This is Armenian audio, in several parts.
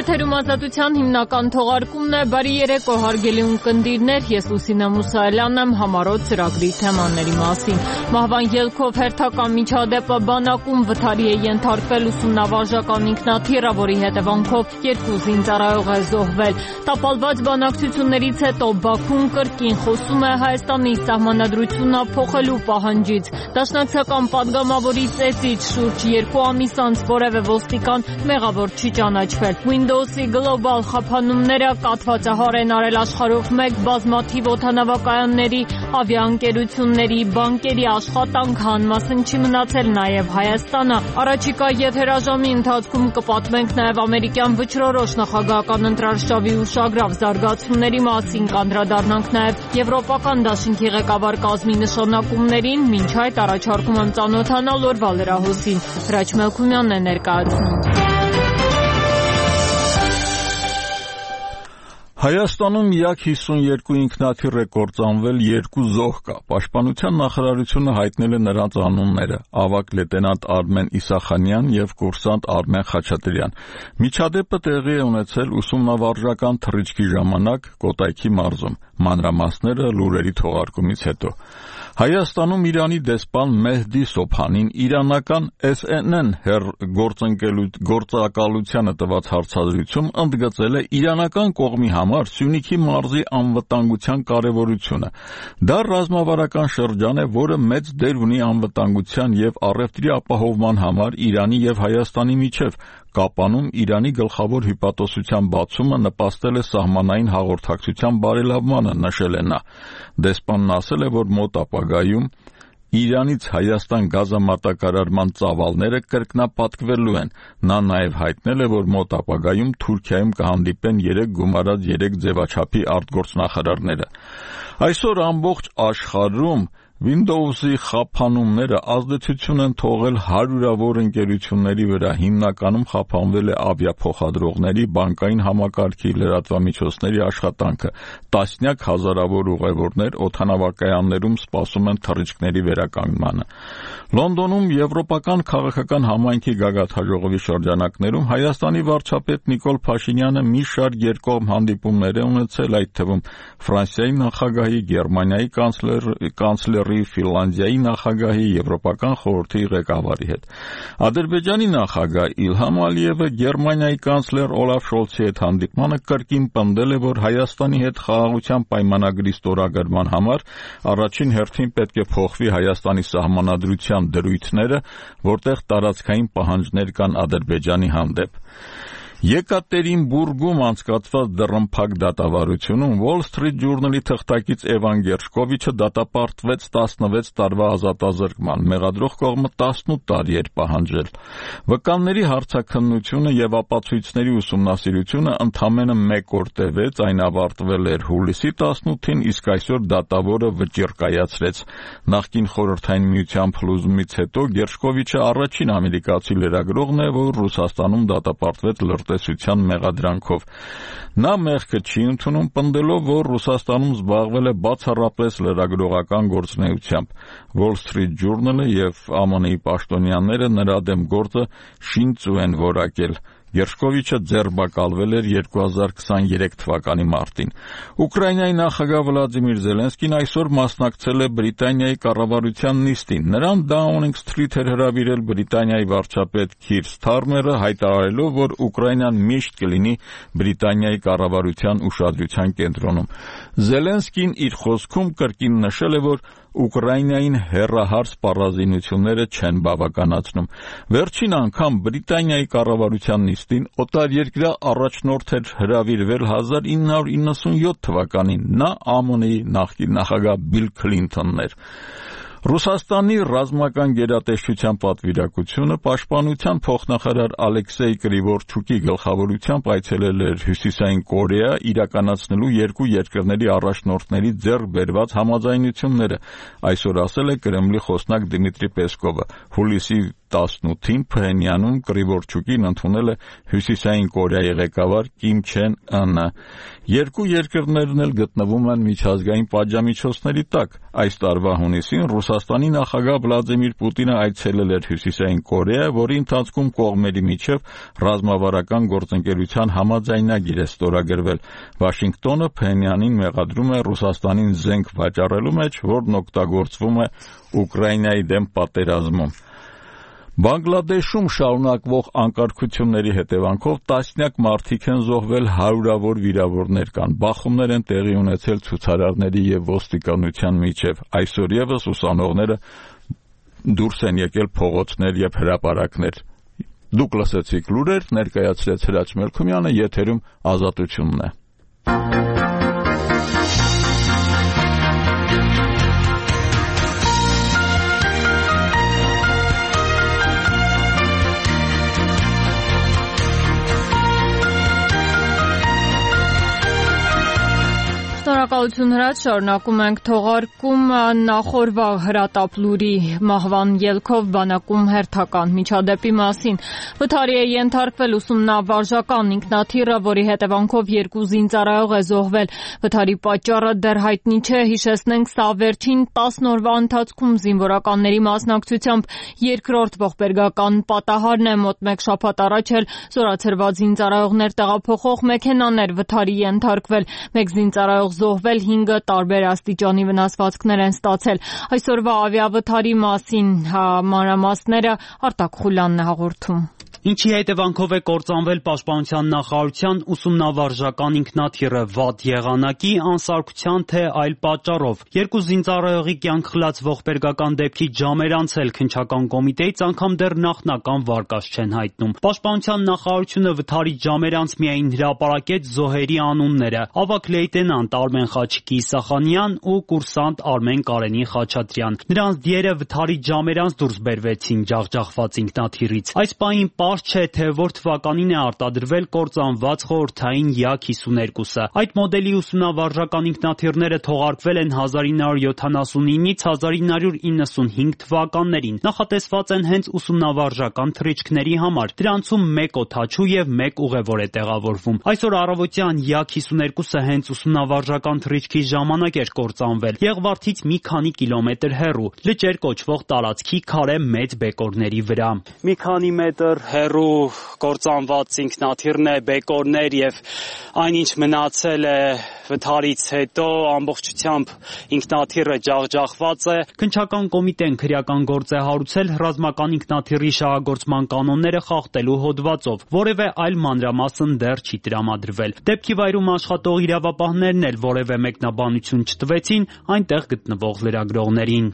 Եթերում ազատության հիմնական թողարկումն է։ Բարի երեկո, հարգելի ունկնդիրներ, ես Լուսինե Մուսայելյանն եմ համառոտ ծրագրի թեմաների մասին։ Մահվան ելքով հերթական միջադեպը բանակում վթարի է ենթարկվել ուսումնավարժական ինքնաթիռը, որի հետևանքով 2 զինծառայող է զոհվել։ Տապալված բանակցություններից հետո Բաքուն կրկին խոսում է Հայաստանի սահմանադրությունը փոխելու պահանջից։ Դաշնակցական падգամավորի ծեծից շուրջ 2 ամիս անց որևէ ոստիկան մեղավոր չի ճանաչվել։ Windows-ի գլոբալ խափանումները կաթվածահար են արել աշխարհով մեկ բազմաթիվ օդանավակայանների, ավիաընկերությունների, բանկերի աշխատանքը, անմասն չի մնացել նաև Հայաստանը։ Առաջիկա եթերաժամի ընթացքում կպատմենք նաև ամերիկյան վճռորոշ նախագահական ընտրարշավի ուշագրավ զարգացումների մասին, կանդրադառնանք նաև Եվրոպական դաշինքի ղեկավար կազմի նշանակումներին, մինչ այդ առաջարկում եմ ծանոթանալ օրվա լրահոսին։ Հրաչ Մելքումյանն է ներկայացնում։ Հայաստանում միակ 52 ինքնաթիռ է կործանվել, 2 զոհ կա։ Պաշտպանության նախարարությունը հայտնել է նրանց անունները՝ ավագ լեյտենանտ Արմեն Իսախանյան եւ կուրսանտ Արմեն Խաչատրյան։ Միջադեպը տեղի է ունեցել ուսումնավարժական թռիչքի ժամանակ Կոտայքի մարզում։ Մանրամասները լուրերի թողարկումից հետո։ Հայաստանում Իրանի դեսպան Մեհդի Սոփանին իրանական SNN գործակալությանը տված հարցազրույցում ընդգծել է իրանական կողմի համար Սյունիքի մարզի անվտանգության կարևորությունը։ Դա ռազմավարական շրջան է, որը մեծ դեր ունի անվտանգության եւ առևտրի ապահովման համար Իրանի եւ Հայաստանի միջեւ։ Կապանում Իրանի գլխավոր հյուպատոսության բացումը նպաստել է սահմանային հաղորդակցության բարելավմանը, նշել է նա։ Դեսպանն ասել է, որ մոտ ապագայում Իրանից Հայաստան գազամատակարարման ծավալները կրկնապատկվելու են։ Նա նաև հայտնել է, որ մոտ ապագայում Թուրքիայում կհանդիպեն 3 գումարած 3 ձևաչափի արտգործնախարարները։ Այսօր ամբողջ աշխարհում Windows-ի խափանումները ազդեցություն են թողել հարյուրավոր ընկերությունների վրա, հիմնականում խափանվել է ավիափոխադրողների, բանկային համակարգի, լրատվամիջոցների աշխատանքը։ Տասնյակ հազարավոր ուղևորներ օդանավակայաններում սպասում են թռիչքների վերականգնմանը։ Լոնդոնում Եվրոպական քաղաքական համայնքի գագաթնաժողովի շրջանակներում Հայաստանի վարչապետ Նիկոլ Փաշինյանը մի շարք երկկողմ հանդիպումներ է ունեցել, այդ թվում Ֆրանսիայի նախագահի, Գերմանիայի կանցլերի, Ֆինլանդիայի նախագահի, Եվրոպական խորհրդի ղեկավարի հետ։ Ադրբեջանի նախագահ Իլհամ Ալիևը Գերմանիայի կանցլեր Օլաֆ Շոլցի հետ հանդիպմանը կրկին պնդել է, որ Հայաստանի հետ խաղաղության պայմանագրի ստորագրման համար առաջին հերթին պետք է փոխվի Հայաստանի սահմանադրության դրույթները, որտեղ տարածքային պահանջներ կան Ադրբեջանի հանդեպ։ Եկատերինբուրգում անցկացված դռնփակ դատավարությունում Wall Street Journal-ի թղթակից Էվան Գերշկովիչը դատապարտվեց 16 տարվա ազատազրկման, մեղադրող կողմը 18 տարի էր պահանջել։ Վկանների հարցաքննությունը եւ ապացույցների ուսումնասիրությունը ընդամենը 1 օր տևեց, այն ավարտվել էր հուլիսի 18-ին, իսկ այսօր դատավորը վճիռ կայացրեց։ Նախկին Խորհրդային Միության փլուզումից հետո Գերշկովիչը առաջին ամերիկացի լրագրողն է, որ Ռուսաստանում դատապարտվեց լրտեսության մեղադրանքով։ Նա մեղքը չի ընդունում, պնդելով, որ Ռուսաստանում զբաղվել է բացառապես լրագրողական գործունեությամբ։ Wall Street Journal-ը եւ ԱՄՆ-ի պաշտոնյաները նրա դեմ գործը շինծու են որակել։ Գերշկովիչը ձերբակալվել էր 2023 թվականի մարտին։ Ուկրաինայի նախագահ Վլադիմիր Զելենսկին այսօր մասնակցել է Բրիտանիայի կառավարության նիստին։ Նրան Դաունինգ Սթրիթ էր հրավիրել Բրիտանիայի վարչապետ Քիր Սթարմերը, հայտարարելով, որ Ուկրաինան միշտ կլինի Բրիտանիայի կառավարության ուշադրության կենտրոնում։ Զելենսկին իր խոսքում կրկին նշել է, որ Ուկրաինային հեռահար սպառազինությունները չեն բավականացնում։ Վերջին անգամ Բրիտանիայի կառավարության նիստին օտարերկրյա առաջնորդ էր հրավիրվել 1997 թվականին։ Նա ԱՄՆ-ի նախկին նախագահ Բիլ Քլինթոնն էր։ Ռուսաստանի ռազմական գերատեսչության պատվիրակությունը պաշտպանության փոխնախարար Ալեքսեյ Կրիվորչուկի գլխավորությամբ այցելել էր Հյուսիսային Կորեա իրականացնելու երկու երկրների առաջնորդների ձեռք բերված համաձայնությունները, այսօր ասել է Կրեմլի խոսնակ Դմիտրի Պեսկովը։ Հուլիսի 18-ին Փհենյանում Կրիվորչուկին ընդունել է Հյուսիսային Կորեայի ղեկավար Կիմ Չեն Ընը։ Երկու երկրներն էլ գտնվում են միջազգային պատժամիջոցների տակ։ Այս տարվա հունիսին Ռուսաստանի նախագահ Վլադիմիր Պուտինը այցելել էր Հյուսիսային Կորեա, որի ընթացքում կողմերի միջև ռազմավարական գործընկերության համաձայնագիր է ստորագրվել։ Վաշինգտոնը Փհենյանին մեղադրում է Ռուսաստանին զենք վաճառելու մեջ, որն օգտագործվում է Ուկրաինայի դեմ պատերազմում։ Բանգլադեշում շարունակվող անկարգությունների հետևանքով տասնյակ մարդիկ են զոհվել, հարյուրավոր վիրավորներ կան։ Բախումներ են տեղի ունեցել ցուցարարների եւ ոստիկանության միջև։ Այսօր եւս ուսանողները դուրս են եկել փողոցներ եւ հրապարակներ։ Դուք լսեցիք լուրեր, ներկայացրեց Հրաչ Մելքումյանը, եթերում Ազատությունն է։ Շնորհակալություն Հրաչ, շարունակում ենք թողարկում նախորդ հրատապ լուրի մահվան ելքով բանակում հերթական միջադեպի մասին։ Վթարի է ենթարկվել ուսումնավարժական ինքնաթիռը, որի հետևանքով 2 զինծառայող է զոհվել։ Վթարի պատճառը դեռ հայտնի չէ, հիշեցնենք, սա վերջին 10 օրվա ընթացքում զինվորականների մասնակցությամբ երկրորդ ողբերգական պատահարն է։ Մոտ 1 շաբաթ առաջ էլ զորացրված զինծառայողներ տեղափոխող մեքենաներ վթարի ենթարկվել։ 1 զինծառայող զոհվել, 5-ը տարբեր աստիճանի վնասվածքներ են ստացել։ Այսօրվա ավիավթարի մասին մանրամասները Արտակ Խուլյանն է հաղորդում։ Ինչի հետևանքով է կործանվել Պաշտպանության նախարարության ուսումնավարժական ինքնաթիռը, վատ եղանակի, անսարքության թե այլ պատճառով։ 2 զինծառայողի կյանք խլած ողբերգական դեպքից ժամեր անցել, քննչական կոմիտեից անգամ դեռ նախնական վարկած չեն հայտնում։ Պաշտպանության նախարարությունը վթարից ժամեր անց միայն հրապարակեց զոհերի անունները՝ ավագ լեյտենանտ Արմեն Խաչիկի Իսախանյան ու կուրսանտ Արմեն Կարենի Խաչատրյան։ Նրանց դիերը վթարից ժամեր անց դուրս բերվեցին ջախջախված ինքնաթիռից։ Այս պահին չէ, թե որ թվականին է արտադրվել կործանված խորհրդային Յակ-52-ը։ Այդ մոդելի ուսումնավարժական ինքնաթիռները թողարկվել են 1979-ից 1995 թվականներին։ Նախատեսված են հենց ուսումնավարժական թռիչքների համար։ Դրանցում 1 օդաչու եւ 1 ուղևոր է տեղավորվում։ Այսօր առավոտյան Յակ-52-ը հենց ուսումնավարժական թռիչքի ժամանակ էր կործանվել։ Եղվարդից մի քանի կիլոմետր հեռու, լճեր կոչվող տարածքի քարե մեծ բեկորների վրա։ Մի քանի մետր հեռու կործանված ինքնաթիռն է, բեկորներ եւ այնինչ մնացել է վթարից հետո ամբողջությամբ ինքնաթիռը ջախջախված է։ Քննչական կոմիտեն քրեական գործ է հարուցել ռազմական ինքնաթիռի շահագործման կանոնները խախտելու հոդվածով, որևէ այլ մանրամասն դեռ չի տրամադրվել։ Դեպքի վայրում աշխատող իրավապահներն էլ որևէ մեկնաբանություն չտվեցին այնտեղ գտնվող լրագրողներին։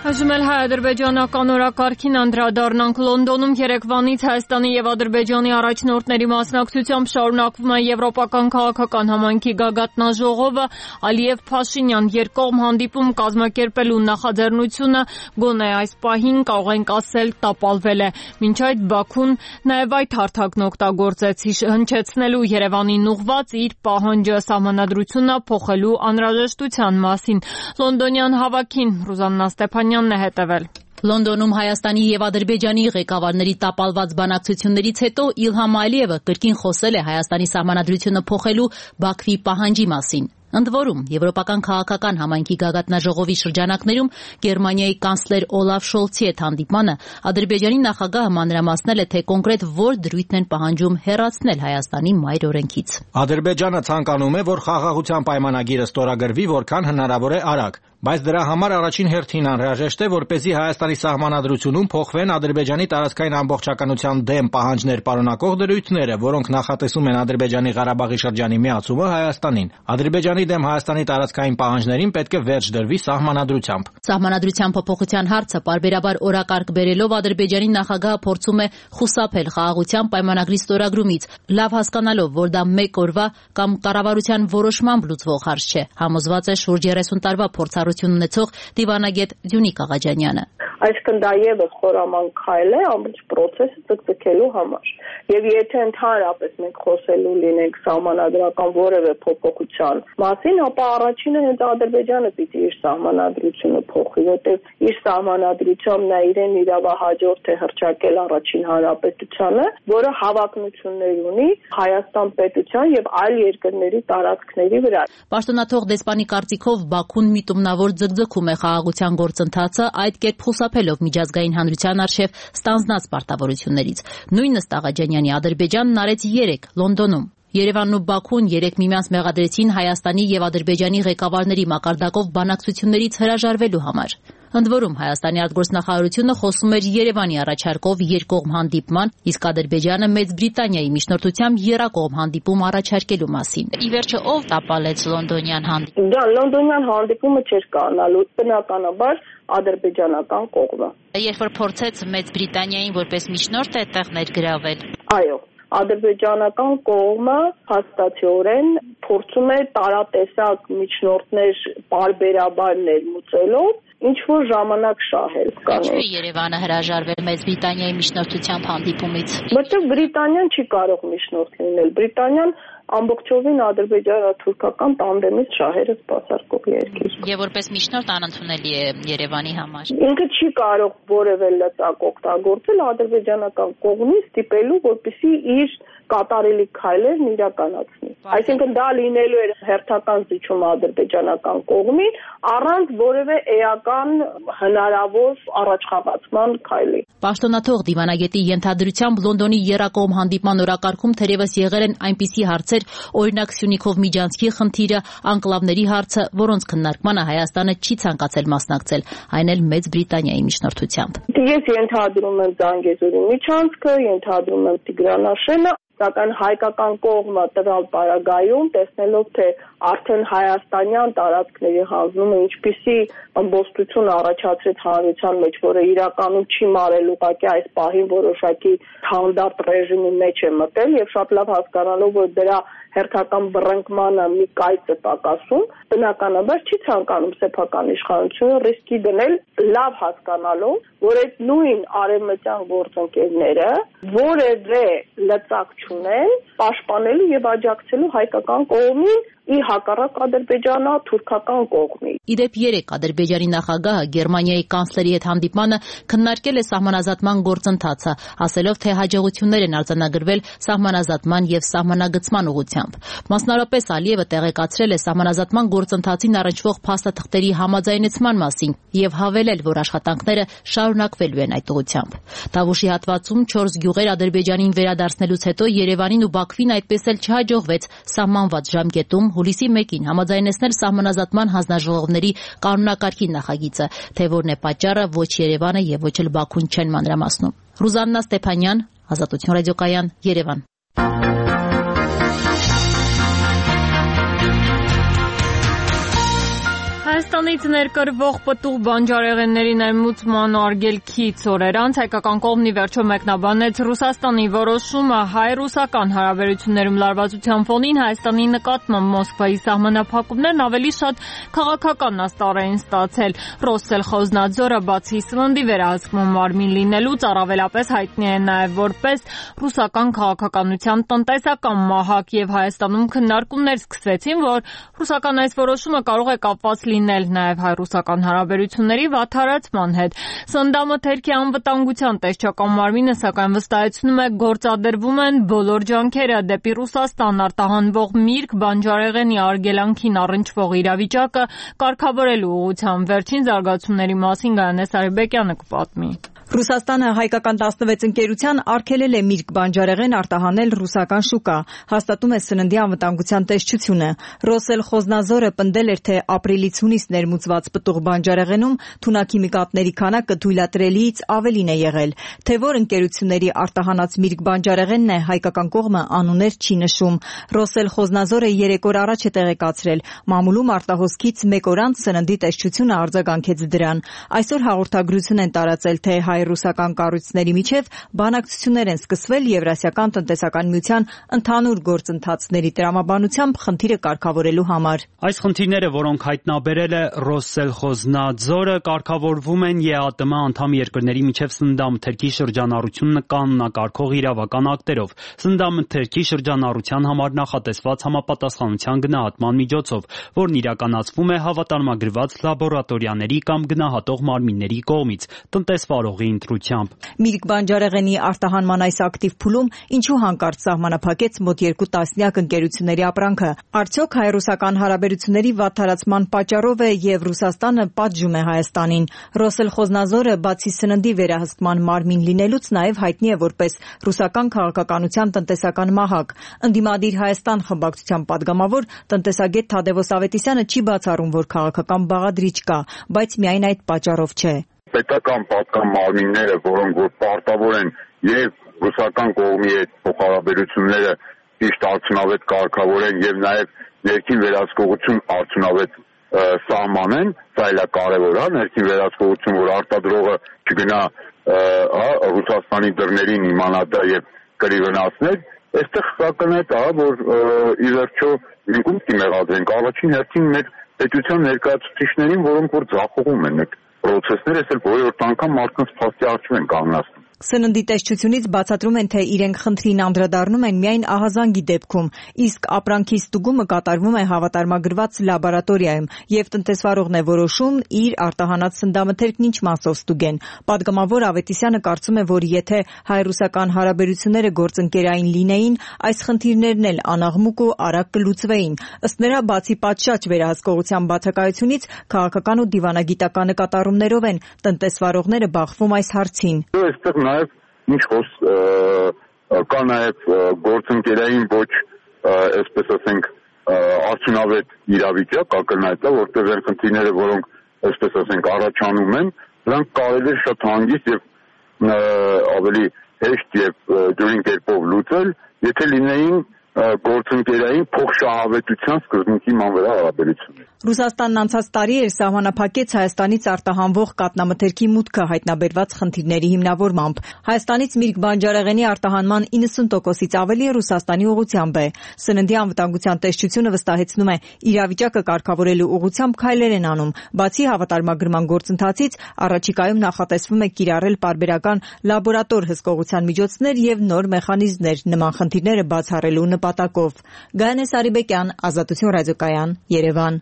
Այժմ էլ հայ-ադրբեջանական օրակարգին անդրադառնանք։ Լոնդոնում երեկվանից Հայաստանի եւ Ադրբեջանի առաջնորդների մասնակցությամբ շարունակվում է եվրոպական քաղաքական համայնքի գագաթնաժողովը։ Ալիև-Փաշինյան երկկողմ հանդիպում կազմակերպելու նախաձեռնությունը գոնե այս պահին կարող ենք ասել տապալվել է։ Մինչ այդ Բաքուն նաեւ այդ հարթակն օգտագործեց հնչեցնելու Երևանին ուղղված իր պահանջը սահմանադրությունը փոխելու անհրաժեշտության մասին։ Լոնդոնյան հավաքին Ռուզաննա Ստեփանյանն է հետևել։ Լոնդոնում Հայաստանի եւ Ադրբեջանի ղեկավարների տապալված բանակցություններից հետո Իլհամ Ալիևը կրկին խոսել է Հայաստանի սահմանադրությունը փոխելու Բաքվի պահանջի մասին։ Ընդ որում, Եվրոպական քաղաքական համայնքի գագաթնաժողովի շրջանակներում Գերմանիայի կանցլեր Օլաֆ Շոլցի հետ հանդիպմանը Ադրբեջանի նախագահը մանրամասնել է, թե կոնկրետ որ դրույթն են պահանջում հեռացնել Հայաստանի մայր օրենքից։ Ադրբեջանը ցանկանում է, որ խաղաղության պայմանագիրը ստորագրվի որքան հնարավոր է արագ, բայց դրա համար առաջին հերթին անհրաժեշտ է, որպեսզի Հայաստանի սահմանադրությունում փոխվեն Ադրբեջանի տարածքային ամբողջականության դեմ պահանջներ պարունակող դրույթները, որոնք նախատեսում են Ադրբեջանի Ղարաբաղի շրջանի միացումը Հայաստանին։ Ադրբեջանի դեմ Հայաստանի տարածքային պահանջներին պետք է վերջ դրվի սահմանադրությամբ։ Սահմանադրության փոփոխության հարցը պարբերաբար օրակարգ բերելով Ադրբեջանի նախագահը փորձում է խուսափել խաղաղության պայմանագրի ստորագրումից, լավ հասկանալով, որ դա մեկ օրվա կամ կառավարության որոշմամբ լուծվող հարց չէ, համոզված է շուրջ 30 տարվա փորձառություն ունեցող դիվանագետ Դյունիկ Աղաջանյանը։ Այսինքն դա եւս խորամանկ քայլ է ամբողջ process-ը ձգձգելու համար։ Եվ եթե ընդհանրապես մենք խոսելու լինենք սահմանադրական որևէ փոփոխության մասին, ապա առաջինը հենց Ադրբեջանը պիտի իր սահմանադրությունը փոխի, որտեղ իր սահմանադրությամբ նա իրեն իրավահաջորդ է հռչակել առաջին հանրապետությանը, որը հավակնություններ ունի Հայաստան պետության եւ այլ երկրների տարածքների վրա։ Պաշտոնաթող դեսպանի կարծիքով Բաքուն միտումնավոր ձգձգում է խաղաղության գործընթացը, այդ կերպ խուսափելով միջազգային հանրության առջև ստանձնած պարտավորություններից։ Նույնը Ստաղաջանյանի Ադրբեջանն արեց 3 Լոնդոնում։ Երևանն ու Բաքուն 3 միմյանց մեղադրեցին Հայաստանի եւ Ադրբեջանի ղեկավարների մակարդակով բանակցություններից հրաժարվելու համար։ Ընդ որում Հայաստանի արտգործնախարարությունը խոսում էր Երևանի առաջարկով երկկողմ հանդիպման, իսկ Ադրբեջանը Մեծ Բրիտանիայի միջնորդությամբ եռակողմ հանդիպում առաջարկելու մասին։ Ի վերջո ով տապալեց լոնդոնյան հանդիպումը։ Դա լոնդոնյան հանդիպումը չէր կանալու, բնականաբար ադրբեջանական կողմը։ Երբ որ փորձեց Մեծ Բրիտանիային որպես միջնորդ այդտեղ ներգրավել։ Այո, ադրբեջանական կողմը հաստատորեն փորձում է տարատեսակ միջնորդներ պարբերաբար ներմուծելով ինչ-որ ժամանակ շահել կանել։ Ինչու է Երևանը հրաժարվել Մեծ Բրիտանիայի միջնորդությամբ հանդիպումից։ Որտեղ Բրիտանիան չի կարող միջնորդ լինել։ Բրիտանիան ամբողջովին ադրբեջանա-թուրքական տանդեմից շահերը սպասարկող երկիր։ Եվ որպես միջնորդ անընդունելի է Երևանի համար։ Ինքը չի կարող որևէ լծակ օգտագործել ադրբեջանական կողմից ստիպելու, որպեսզի իր կատարելի քայլերն իրականացնի։ Այսինքն դա լինելու էր հերթական զիջում ադրբեջանական կողմին առանց որևէ էական հնարավոր առաջխաղացման քայլի։ Պաշտոնաթող դիվանագետի ենթադրությամբ Լոնդոնի եռակողմ հանդիպման օրակարգում թերևս եղել են այնպիսի հարցեր, օրինակ Սյունիքով միջանցքի խնդիրը, անկլավների հարցը, որոնց քննարկմանը Հայաստանը չի ցանկացել մասնակցել, այն էլ Մեծ Բրիտանիայի միջնորդությամբ։ Ես ենթադրում եմ Զանգեզուրի միջանցքը, ենթադրում եմ Տիգրանաշենը, սակայն հայկական կողմը տվյալ պարագայում տեսնելով թե արդեն հայաստանյան տարածքների հանձնումը ինչպիսի ըմբոստություն առաջացրեց հանրության մեջ, որը իրականում չի մարել ուղղակի այս պահին որոշակի ստանդարտ ռեժիմի մեջ է մտել եւ շատ լավ հասկանալով որ դրա հերթական բռնկմանը մի կայծ է պակասում, բնականաբար չի ցանկանում սեփական իշխանությունը ռիսկի դնել, լավ հասկանալով, որ այդ նույն արևմտյան գործընկերները որևէ լծակ չունեն պաշտպանելու եւ աջակցելու հայկական կողմին ի հակառակ ադրբեջանա-թուրքական կողմի։ Իդեպ 3 Ադրբեջանի նախագահը Գերմանիայի կանցլերի հետ հանդիպմանը քննարկել է սահմանազատման գործընթացը, ասելով թե հաջողություններ են արձանագրվել սահմանազատման եւ սահմանագծման ուղղությամբ։ Մասնավորապես Ալիևը տեղեկացրել է սահմանազատման գործընթացին առնչվող փաստաթղթերի համաձայնեցման մասին եւ հավելել, որ աշխատանքները շարունակվելու են այդ ուղղությամբ։ Տավուշի հատվածում 4 գյուղեր Ադրբեջանին վերադարձնելուց հետո Երևանին ու Բաքվին այդպես էլ չհաջողվեց սահմանված ժամկետում հուլիսի 1-ին համաձայնեցնել սահմանազատման հանձնաժողովների կանոնակարգի նախագիծը, թե որն է պատճառը ոչ Երևանը եւ ոչ էլ Բաքուն չեն մանրամասնում։ Ռուզաննա Ստեփանյան, Ազատություն ռադիոկայան, Երևան։ Հայաստանից ներկրվող պտուղ բանջարեղենների ներմուծման արգելքից օրեր անց հայկական կողմն ի վերջո մեկնաբանեց Ռուսաստանի որոշումը հայ-ռուսական հարաբերություններում լարվածության ֆոնին Հայաստանի նկատմամբ Մոսկվայի սահմանափակումներն ավելի շատ քաղաքական աստառ էին ստացել։ Ռոսսելխոզնադզորը բացի սննդի վերահսկման մարմին լինելուց առավելապես հայտնի է նաև որպես ռուսական քաղաքականության տնտեսական մահակ եւ Հայաստանում քննարկումներ սկսվեցին, որ ռուսական այս որոշումը կարող է կապված լինել նաև հայ-ռուսական հարաբերությունների վատթարացման հետ։ Սննդամթերքի անվտանգության տեսչական մարմինը սակայն վստահեցնում է գործադրվում են բոլոր ջանքերը դեպի Ռուսաստան արտահանվող միրգ բանջարեղենի արգելանքին առնչվող իրավիճակը կարգավորելու ուղղությամբ։ Վերջին զարգացումների մասին Գայանե Սարիբեկյանը կպատմի։ Ռուսաստանը հայկական 16 ընկերության արգելել է միրգ բանջարեղեն արտահանել ռուսական շուկա, հաստատում է սննդի անվտանգության տեսչությունը։ Ռոսսելխոզնադզորը պնդել էր, թե ապրիլից հունիս ներմուծված պտուղ բանջարեղենում թունաքիմիկատների քանակը թույլատրելիից ավելին է եղել։ Թե որ ընկերությունների արտահանած միրգ բանջարեղենն է, հայկական կողմը անուններ չի նշում։ Ռոսսելխոզնադզորը 3 օր առաջ է տեղեկացրել, մամուլում արտահոսքից 1 օր անց սննդի տեսչությունը արձագանքեց դրան։ Այսօր հաղորդագրություն են տարածել, թե հայ-ռուսական կառույցների միջև բանակցություններ են սկսվել Եվրասիական տնտեսական միության ընդհանուր գործընթացների տրամաբանությամբ խնդիրը կարգավորելու համար։ Այս խնդիրները, որոնք հայտնաբերել նշել է Ռոսսելխոզնաձորը, կարգավորվում են ԵԱՏՄ անդամ երկրների միջև սննդամթերքի շրջանառությունն կանոնակարգող իրավական ակտերով։ Սննդամթերքի շրջանառության համար նախատեսված համապատասխանության գնահատման միջոցով, որն իրականացվում է հավատարմագրված լաբորատորիաների կամ գնահատող մարմինների կողմից, տնտեսվարողի ընտրությամբ։ Միրգ բանջարեղենի արտահանման այս ակտիվ փուլում ինչու հանկարծ սահմանափակեց մոտ 2 տասնյակ ընկերությունների ապրանքը։ Արդյոք հայ-ռուսական հարաբերությունների վատթարացման պատճառով է եւ Ռուսաստանը պատժում է Հայաստանին։ Ռոսսելխոզնաձորը բացի սննդի վերահսկման մարմին լինելուց նաեւ հայտնի է որպես ռուսական քաղաքականության տնտեսական մահակ։ Ընդդիմադիր Հայաստան խմբակցության падգամավոր տնտեսագետ Թադևոս Ավետիսյանը չի բացառում, որ քաղաքական բաղադրիչ կա, բայց միայն այդ պատճառով չէ։ Պետական պատկան մարմինները, որոնք որ պարտավոր են եւ ռուսական կողմի հետ փոխհարաբերությունները ճիշտ արդյունավետ կարգավորեն եւ նաեւ ներքին վերահսկողություն արդյունավետ սահմանեն, սա էլ է կարևոր, ներքին վերահսկողություն, որ արտադրողը չգնա Ռուսաստանի դռներին իմանա դա եւ կրի վնասներ, այստեղ սակայն է դա, որ ի վերջո մենք ում կմեղադրենք առաջին հերթին մեր պետության ներկայացուցիչներին, որոնք որ ձախողում են այդ պրոցեսները, այսօր որորդ անգամ մարդկանց փաստի առջև են կանգնացնում։ Սննդի տեսչությունից բացատրում են, թե իրենք խնդրին անդրադառնում են միայն ահազանգի դեպքում, իսկ ապրանքի ստուգումը կատարվում է հավատարմագրված լաբորատորիայում, եւ տնտեսվարողն է որոշում իր արտահանած սննդամթերքն ինչ մասով ստուգեն։ Պատգամավոր Ավետիսյանը կարծում է, որ եթե հայ-ռուսական հարաբերությունները գործընկերային լինեին, այս խնդիրներն էլ անաղմուկ ու արագ կլուծվեին։ Ըստ նրա, բացի պատշաճ վերահսկողության բացակայությունից, քաղաքական ու դիվանագիտական նկատառումներով են տնտեսվարողները բախվում այս հարցին։ Նաև ինչ կա նաև գործընկերային ոչ, այսպես ասենք, արդյունավետ իրավիճակ, ակնհայտ է, որտեղ այն խնդիրները, որոնք, այսպես ասենք, առաջանում են, դրանք կարելի է շատ հանգիստ եւ ավելի հեշտ եւ դյուրին կերպով լուծել, եթե լինեին գործընկերային փոխշահավետության սկզբունքի մանվրա հարաբերություններ։ Ռուսաստանն անցած տարի էր սահմանափակեց Հայաստանից արտահանվող կաթնամթերքի մուտքը հայտնաբերված խնդիրների հիմնավորմամբ։ Հայաստանից միրգ բանջարեղենի արտահանման 90%-ից ավելի Ռուսաստանի ուղղությամբ է։ Սննդի անվտանգության տեսչությունը վստահեցնում է, իրավիճակը կարգավորելու ուղղությամբ քայլեր են անում։ Բացի հավատարմագրման գործընթացից, առաջիկայում նախատեսվում է կիրառել պարբերական լաբորատոր հսկողության միջոցներ եւ նոր մեխանիզմներ նման խնդիրները բացառելու նպատակով։ Գայանե Սարիբեկյան, Ազատություն ռադիոկայան, Երևան։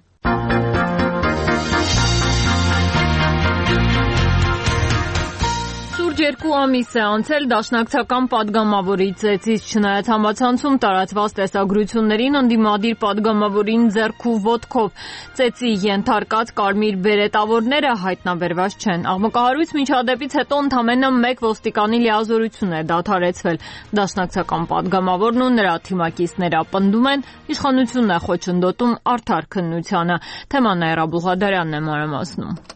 Շուրջ 2 ամիս է անցել դաշնակցական падգամավորի ծեծից, չնայած համացանցում տարածված տեսագրություններին ընդդիմադիր падգամավորին ձեռքու ոտքով ծեծի ենթարկած կարմիր բերետավորները հայտնաբերված չեն։ Աղմկահարույց միջադեպից հետո ընդամենը 1 ոստիկանի լիազորություն է դադարեցվել։ Դաշնակցական падգամավորն ու նրա թիմակիցները պնդում են, իշխանությունն է խոչընդոտում արդար քննությանը։ Թեման Նաիրա Բուղադարյանն է մանրամասնում։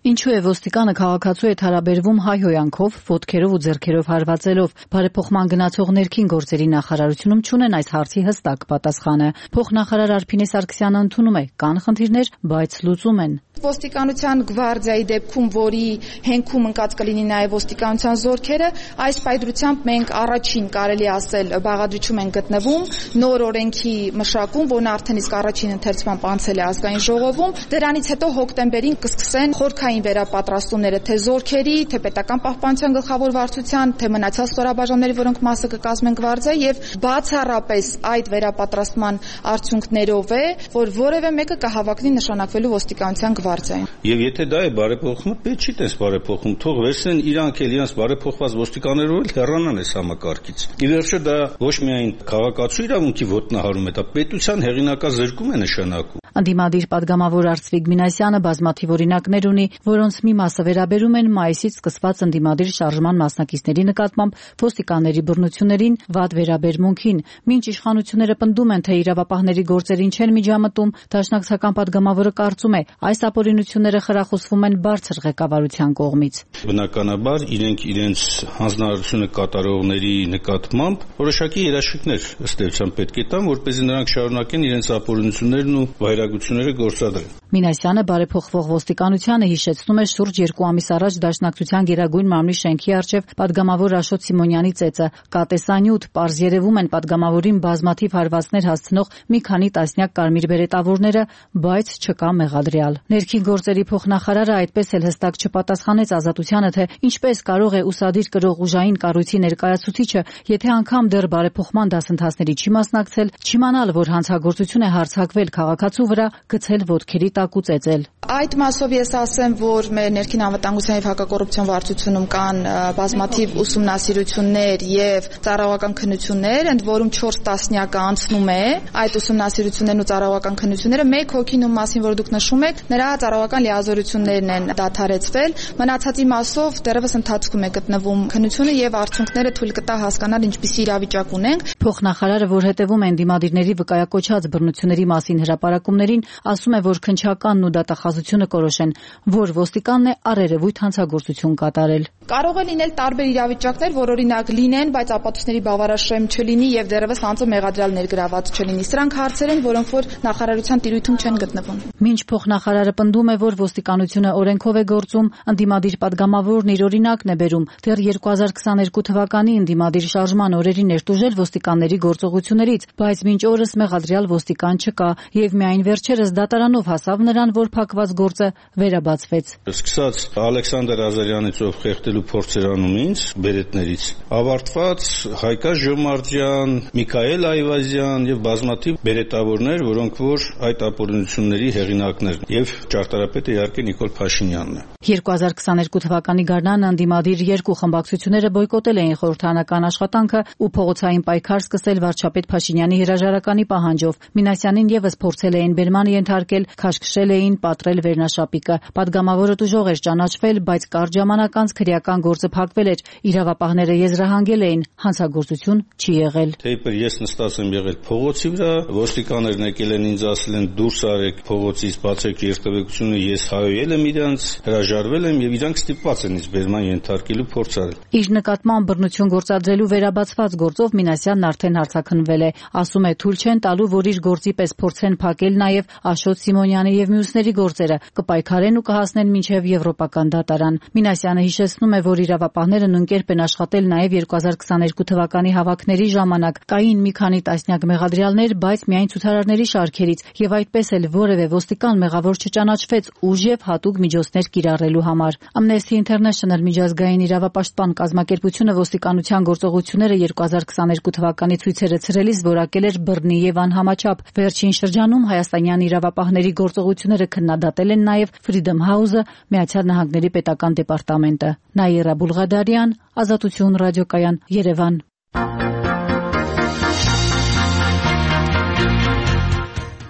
Ինչու է ոստիկանը քաղաքացու հետ հարաբերվում հայհոյանքով, ոտքերով ու ձեռքերով հարվածելով։ Բարեփոխման գնացող ներքին գործերի նախարարությունում չունեն այս հարցի հստակ պատասխանը։ Փոխնախարար Արփինե Սարգսյանը ընդունում է, կան խնդիրներ, բայց լուծում են։ Ոստիկանության գվարդիայի դեպքում, որի հենքում ընկած կլինի նաև ոստիկանության զորքերը, այս պայծրությամբ մենք առաջին կարելի ասել բաղադրիչում են գտնվում նոր օրենքի մշակում, որն արդեն իսկ առաջին ընթերցման անցել է ազգային ժողովում։ Դրանից հետո հոկտեմբերին կսկսեն խորքային վերապատրաստումները թե զորքերի, թե պետական պահպանության գլխավոր վարչության, թե մնացած ստորաբաժանումների, որոնք մասը կկազմեն գվարդիա, եւ բացառապես այդ վերապատրաստման արդյունքներով է, որ որևէ մեկը կհավաքվի նշանակվելու ոստիկանության գվարդիային։ Եվ եթե դա է բարեփոխումը, պետք չի տես բարեփոխում, թող վերցնեն իրանք էլ իրենց բարեփոխված ոստիկաններով էլ հեռանան այս համակարգից։ Ի վերջո դա ոչ միայն քաղաքացու իրավունքի ոտնահարում է, դա պետության հեղինակազրկում է նշանակում։ Ընդդիմադիր падգամավոր Արծվիկ Մինասյանը բազմաթիվ օրինակներ ունի, որոնց մի մասը վերաբերում են մայիսից սկսված ընդդիմադիր շարժման մասնակիցների նկատմամբ ոստիկանների բռնություններին, վատ վերաբերմունքին։ Մինչ իշխանությունները պնդում են, թե իրավապահների գործերին չեն միջամտում, դաշնակցական падգամավորը կարծում է, այս ապօրինությունները խրախուսվում են բարձր ղեկավարության կողմից։ Բնականաբար իրենք իրենց հանձնարարությունը կատարողների նկատմամբ որոշակի երաշխիքներ ըստ էության պետք է տան, որպեսզի նրանք շարունակեն իրենց ապօրինություններն ու վայրագությունները գործադրել։ Մինասյանը բարեփոխվող ոստիկանությանը հիշեցնում է շուրջ 2 ամիս առաջ Դաշնակցության Գերագույն մամլի շենքի առջև падգամավոր Աշոտ Սիմոնյանի ծեծը։ Կա տեսանյութ, պարզ երևում են падգամավորին բազմաթիվ հարվածներ հասցնող մի քանի տասնյակ կարմիր բերետավորները, բայց չկա մեղադրյալ։ Ներքին գործերի փոխնախարարը այդպես էլ հստակ չպատասխանեց Ազատությանը, թե ինչպես կարող է ուսադիր կրող ուժային կառույցի ներկայացուցիչը, եթե անգամ դեռ բարեփոխման դասընթացների չի մասնակցել, չիմանալ, որ հանցագործություն է հարձակվել քաղաքացու վրա, գցել ոտքերի տակ ու ծեծել։ Այդ մասով ես ասեմ, որ մեր ներքին անվտանգության եւ հակակոռուպցիոն վարչությունում կան բազմաթիվ ուսումնասիրություններ եւ ծառայողական քննություններ, ընդ որում 4 տասնյակը անցնում է այդ ուսումնասիրություններն ու ծառայողական քննությունները։ Մեկ հոգին, ում մասին որ դուք նշում եք, նրա ծառայողական լիազորություններն են դադարեցվել, մնացածի մասով դեռևս ընթացքում է գտնվում քննությունը եւ արդյունքները թույլ կտա հասկանալ ինչպիսի իրավիճակ ունենք։ Փոխնախարարը, որ հետևում են դիմադիրների վկայակոչած բռնությունների մասին հրապարակումներին, ասում է, որ քննչականն ու դատախազությունը կորոշեն, որ ոստիկանն է առերևույթ հանցագործություն կատարել։ Կարող է լինել տարբեր իրավիճակներ, որ օրինակ լինեն, բայց ապացույցների բավարարշեմ չլինի եւ դեռևս անձը մեղադրյալ ներգրաված չլինի։ Սրանք հարցեր են, որոնք որ նախարարության տիրույթում չեն գտնվում։ Մինչ փոխնախարարը պնդում է, որ ոստիկանությունը օրենքով է գործում, ընդդիմադիր падգամավորն իր օրինակն է բերում։ Դեռ 2022 թվականի ընդդիմադիր շարժման օրերին ներտուժել ոստիկանների գործողություններից, բայց մինչ օրս մեղադրյալ ոստիկան չկա եւ միայն վերջերս դատարանով հասավ նրան, որ փակված գործը վերաբացվեց։ Սկսած Ալեքսանդր Ազարյանից, ով խեղդելու փորձ էր անում ինձ բերետներից, ավարտված Հայկա Ժոմարտյան, Միքայել Այվազյան եւ բազմաթիվ բերետավորներ, որոնք որ այդ ապօրինությունների հեղինակներն եւ ճարտարապետը իհարկե Նիկոլ Փաշինյանն է։ 2022 թվականի գարնանը ընդդիմադիր երկու խմբակցությունները բոյկոտել էին խորհրդարանական աշխատանքը ու փողոցային պայքար սկսել վարչապետ Փաշինյանի հրաժարականի պահանջով։ Մինասյանին եւս փորձել էին բերման ենթարկել, քաշքշել էին, պատրել վերնաշապիկը։ Պատգամավորը տուժող էր ճանաչվել, բայց կարճ ժամանակ անց քրեական գործը փակվել էր։ Իրավապահները եզրահանգել էին, հանցագործություն չի եղել։ Թեպետ ես նստած եմ եղել փողոցի վրա, ոստիկաններն եկել են ինձ ասել են դուրս արեք փողոցից, բացեք երթևեկությունը, ես հայոյել եմ իրանց, հրաժարվել եմ եւ իրանք ստիպված են ինձ բերման ենթարկելու փորձ արել։ Իր նկատմամբ բռնություն գործադրելու վերաբացված գործով Մինասյանն արդեն հարցաքննվել է։ Ասում է, թույլ չեն տալու, որ իր գործի պես փորձեն փակել նաեւ Աշոտ Սիմոնյանի եւ մյուսների գործերը, կպայքարեն ու կհասնեն մինչեւ եվրոպական դատարան։ Մինասյանը հիշեցնում է, որ իրավապահները նույնկերպ են աշխատել նաեւ 2022 թվականի հավաքների ժամանակ։ Կային մի քանի տասնյակ մեղադրյալներ, բայց միայն ցուցարարների շարքերից եւ այդպես էլ որևէ ոստիկան մեղավոր չճանաչվեց ուժ եւ հատուկ միջոցներ կիրառելու համար։ Amnesty International միջազգային իրավապաշտպան կազմակերպությունը ոստիկանության գործողությունները 2022 թվականի ցույցերը ցրելիս որակել էր բռնի եւ անհամաչափ։ Վերջին շրջանում հայաստանյան իրավապահների գործողությունները քննադատել են նաեւ Freedom House-ը, Միացյալ Նահանգների պետական դեպարտամենտը։ Նաիրա Բուլղադարյան, Ազատություն ռադիոկայան, Երևան։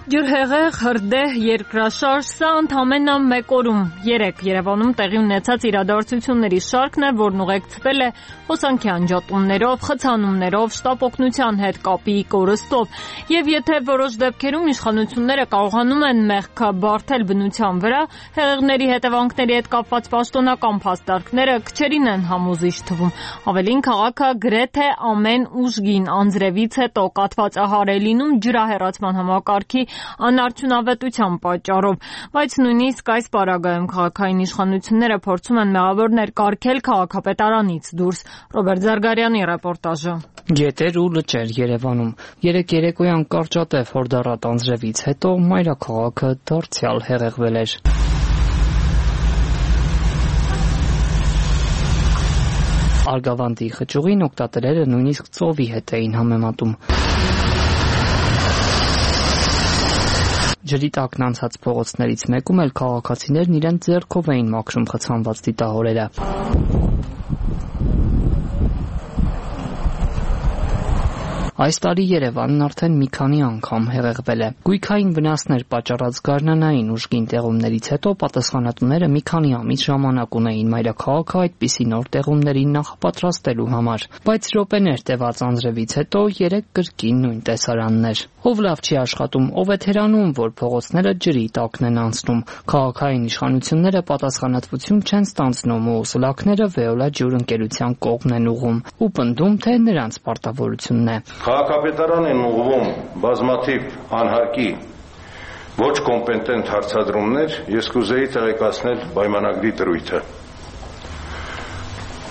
Ջրհեղեղ, հրդեհ, երկրաշարժ, սա ընդամենը մեկ օրում 3 Երևանում տեղի ունեցած իրադարձությունների շարքն է, որն ուղեկցվել է հոսանքի անջատումներով, խցանումներով, շտապ օգնության հետ կապի կորստով, եւ եթե որոշ դեպքերում իշխանությունները կարողանում են մեղքը բարթել բնության վրա, հեղեղների հետևանքների հետ կապված պաշտոնական փաստարկները քչերին են համոզիչ թվում։ Ավելին, քաղաքը գրեթե ամեն ուժգին անձրևից հետո կաթվածահար է լինում ջրահեռացման համակարգի անարդյունավետության պատճառով, բայց նույնիսկ այս պարագայում քաղաքային իշխանությունները փորձում են մեղավորներ կարգել քաղաքապետարանից դուրս։ Ռոբերտ Զարգարյանի ռեպորտաժը։ Գետեր ու լճեր Երևանում։ Երեկոյան կարճատև հորդառատ անձրևից հետո մայրաքաղաքը դարձյալ հեղեղվել էր։ Արգավանդի խճուղին օգտատերերը նույնիսկ ծովի հետ էին համեմատում։ Ջրի տակն անցած փողոցներից մեկում էլ քաղաքացիներն իրենց ձեռքով էին մաքրում խցանված դիտահորերը։ Այս տարի Երևանն արդեն մի քանի անգամ հեղեղվել է։ Գույքային վնասներ պատճառած գարնանային ուժգին տեղումներից հետո պատասխանատուները մի քանի ամիս ժամանակ ունեին մայրաքաղաքը այդպիսի նոր տեղումներին նախապատրաստելու համար, բայց րոպեներ տևած անձրևից հետո 3 կրկին նույն տեսարանն էր։ Ով լավ չի աշխատում, ով է թերանում, որ փողոցները ջրի տակն են անցնում։ Քաղաքային իշխանությունները պատասխանատվություն չեն ստանձնում ու սլաքները Վեոլա ջուր ընկերության կողմն են ուղղում ու պնդում, թե նրանց պարտավորությունն է։ Քաղաքապետարան են ուղղվում բազմաթիվ անհարկի ոչ կոմպետենտ հարցադրումներ, ես կուզեի տեղեկացնել պայմանագրի դրույթը։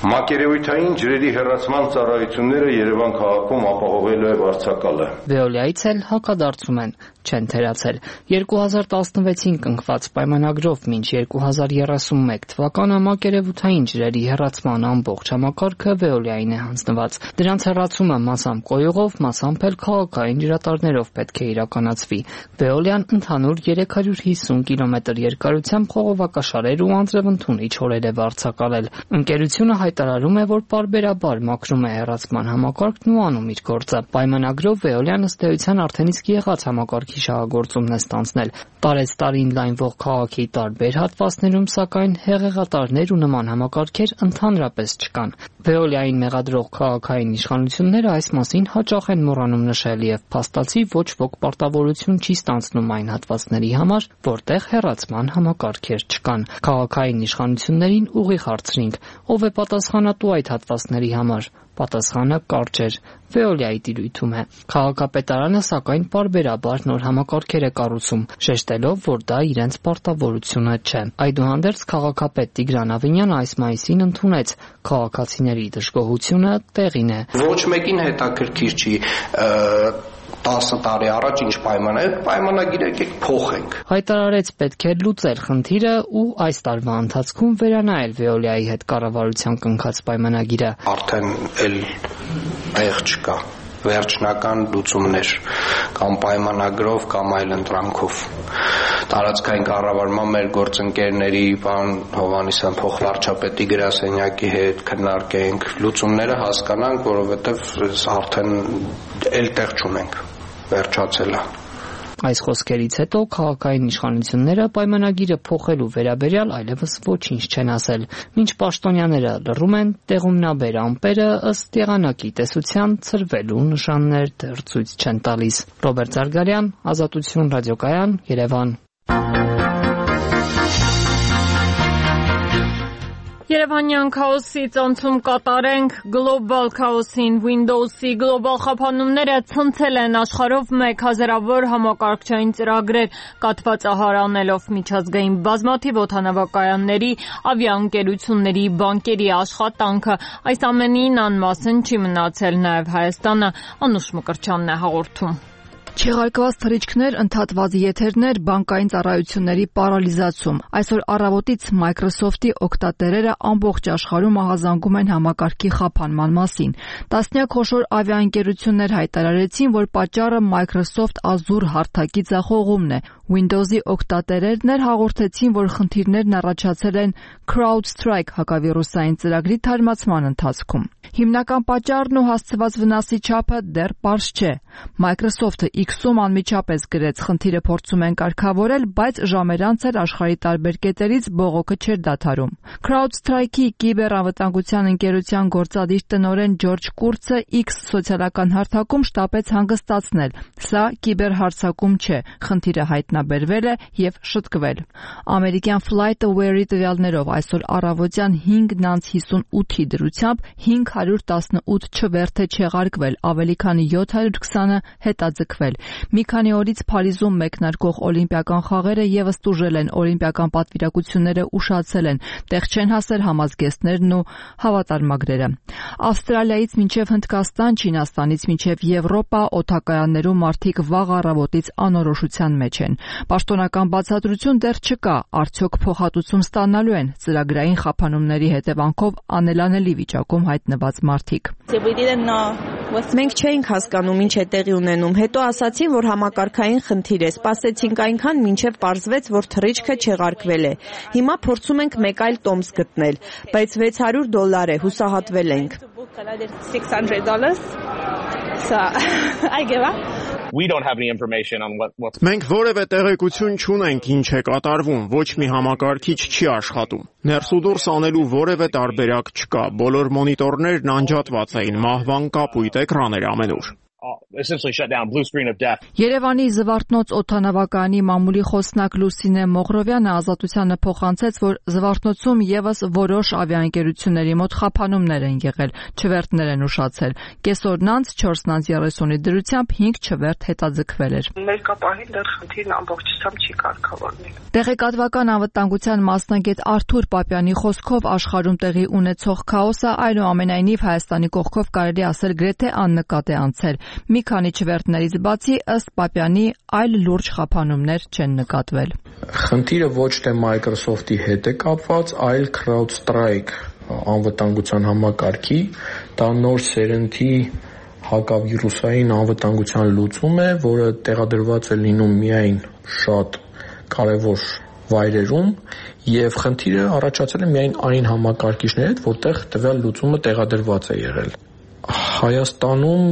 Մակերևույթային ջրերի հեռացման ծառայությունները Երևան քաղաքում ապահովելու է վարձակալը։ Veolia-ից էլ հակադարձում են, չեն թերացել։ 2016-ին կնքված պայմանագրով մինչ 2031 թվականը մակերևութային ջրերի հեռացման ամբողջ համակարգը Veolia-ին է հանձնված։ Դրանց հեռացումը մասամբ կոյուղով, մասամբ էլ քաղաքային ջրատարներով պետք է իրականացվի։ Veolia-ն ընդհանուր 350 կիլոմետր երկարությամբ խողովակաշարեր ու անձրևընդունիչ հորեր է վարձակալել։ Ընկերությունը հայտարարում է, որ պարբերաբար մաքրում է հեռացման համակարգն ու անում իր գործը։ Պայմանագրով Veolia-ն ըստ էության արդեն իսկ եղած համակարգի շահագործումն է ստանձնել։ Տարեցտարին լայնվող քաղաքի տարբեր հատվածներում, սակայն հեղեղատարներ ու նման համակարգեր ընդհանրապես չկան։ Veolia-ին մեղադրող քաղաքային իշխանությունները այս մասին հաճախ են մոռանում նշել եւ փաստացի ոչ ոք պարտավորություն չի ստանձնում այն հատվածների համար, որտեղ հեռացման համակարգեր չկան։ Քաղաքային իշխանություններին ուղիղ հարցրինք, ով է պատասխանատու այդ հատվածների համար։ Պատասխանը կարճ էր։ Veolia-ի տիրույթում է։ Քաղաքապետարանը սակայն պարբերաբար նոր համակարգեր է կառուցում, շեշտելով, որ դա իրենց պարտավորությունը չէ։ Այդուհանդերձ քաղաքապետ Տիգրան Ավինյանը այս մայիսին ընդունեց քաղաքացիների դժգոհությունը տեղին է։ Ոչ մեկին հետաքրքիր չի 10 տարի առաջ ինչ պայմանագիր եկեք փոխենք։ Հայտարարեց պետք է լուծել խնդիրը ու այս տարվա ընթացքում վերանայել Veolia-ի հետ կառավարության կնքած պայմանագիրը։ Արդեն էլ այեղ չկա վերջնական լուծումներ կամ պայմանագրով կամ այլ ընտրանքով։ Տարածքային կառավարման մեր գործընկերների պարոն Հովհաննիսյան փոխվարչապետի գրասենյակի հետ քննարկենք, լուծումները հասկանանք, որովհետև արդեն էլ տեղ չունենք, վերջացել է։ Այս խոսքերից հետո քաղաքային իշխանությունները պայմանագիրը փոխելու վերաբերյալ այլևս ոչինչ չեն ասել։ Մինչ պաշտոնյաները լռում են, տեղումնաբեր ամպերը ըստ եղանակի տեսության ցրվելու նշաններ դեռ ցույց չեն տալիս։ Ռոբերտ Զարգարյան, Ազատություն ռադիոկայան, Երևան։ Երևանյան քաոսից անցում կատարենք գլոբալ քաոսին։ Windows-ի գլոբալ խափանումները ցնցել են աշխարհով 1000-ավոր համակարգչային ծրագրեր, կաթվածահար անելով միջազգային բազմաթիվ օդանավակայանների, ավիաընկերությունների, բանկերի աշխատանքը։ Այս ամենին անմասն չի մնացել նաև Հայաստանը։ Անուշ Մկրտչյանն է հաղորդում։ Չեղարկված թռիչքներ, ընդհատված եթերներ, բանկային ծառայությունների պարալիզացում։ Այսօր առավոտից Microsoft-ի օգտատերերը ամբողջ աշխարհում ահազանգում են համակարգի խափանման մասին։ Տասնյակ խոշոր ավիաընկերություններ հայտարարեցին, որ պատճառը Microsoft Azure հարթակի ձախողումն է։ Windows-ի օգտատերերն էլ հաղորդեցին, որ խնդիրներն առաջացել են CrowdStrike հակավիրուսային ծրագրի թարմացման ընթացքում։ Հիմնական պատճառն ու հասցված վնասի չափը դեռ պարզ չէ։ Microsoft-ը X-ում անմիջապես գրեց, խնդիրը փորձում են կարգավորել, բայց ժամեր անց էլ աշխարհի տարբեր կետերից բողոքը չէր դադարում։ CrowdStrike-ի կիբերանվտանգության ընկերության գործադիր տնօրեն Ջորջ Կուրցը X սոցիալական հարթակում շտապեց հանգստացնել։ Սա կիբերհարձակում չէ, խնդիրը հայտնաբերվել է եւ շտկվել։ Ամերիկյան FlightAware-ի տվյալներով այսօր առավոտյան 5:58-ի դրությամբ 518 չվերթ է չեղարկվել, ավելի քան 720-ը հետաձգվել։ Մի քանի օրից Փարիզում մեկնարկող օլիմպիական խաղերը եւս տուժել են, օլիմպիական պատվիրակությունները ուշացել են, տեղ չեն հասել համազգեստներն ու հավատարմագրերը։ Ավստրալիայից մինչև Հնդկաստան, Չինաստանից մինչև Եվրոպա օդակայաններում մարդիկ վաղ առավոտից անորոշության մեջ են։ Պաշտոնական բացատրություն դեռ չկա, արդյոք փոխհատուցում ստանալու են ծրագրային խափանումների հետևանքով անելանելի վիճակում հայտնված մարդիկ։ Մենք չէինք հասկանում ինչ է տեղի ունենում, հետո ասացին, որ համակարգային խնդիր է, սպասեցինք այնքան, մինչև պարզվեց, որ թռիչքը չեղարկվել է։ Հիմա փորձում ենք մեկ այլ տոմս գտնել, բայց $600 է, հուսահատվել ենք։ Մենք որևէ տեղեկություն չունենք ինչ է կատարվում, ոչ մի համակարգիչ չի աշխատում։ Ներս ու դուրս անելու որևէ տարբերակ չկա, բոլոր մոնիտորներն անջատված էին, մահվան կապույտ էկրան էր ամենուր։ essentially shut down, blue screen of death. Երևանի Զվարթնոց օդանավակայանի մամուլի խոսնակ Լուսինե Մողրովյանը ազատությանը փոխանցեց, որ Զվարթնոցում եւս որոշ ավիաընկերությունների մոտ խափանումներ են եղել, չվերթներ են ուշացել։ Կեսօրն անց 4:30-ի դրությամբ 5 չվերթ հետաձգվել էր։ Ներկապահին դեռ խնդիրն ամբողջությամբ չի կարգավորվել։ Տեղեկատվական անվտանգության մասնագետ Արթուր Պապյանի խոսքով աշխարհում տեղի ունեցող քաոսը այնուամենայնիվ Հայաստանի կողքով կարելի ասել գրեթե աննկատ է անցել։ Մի քանի չվերթներից բացի ըստ Պապյանի այլ լուրջ խափանումներ չեն նկատվել։ Խնդիրը ոչ թե Microsoft-ի հետ է կապված, այլ CrowdStrike անվտանգության համակարգի, դա նոր սերնդի հակավիրուսային անվտանգության լուծում է, որը տեղադրված է լինում միայն շատ կարևոր վայրերում եւ խնդիրը առաջացել է միայն այն համակարգիչների հետ, որտեղ տվյալ լուծումը տեղադրված է եղել։ Հայաստանում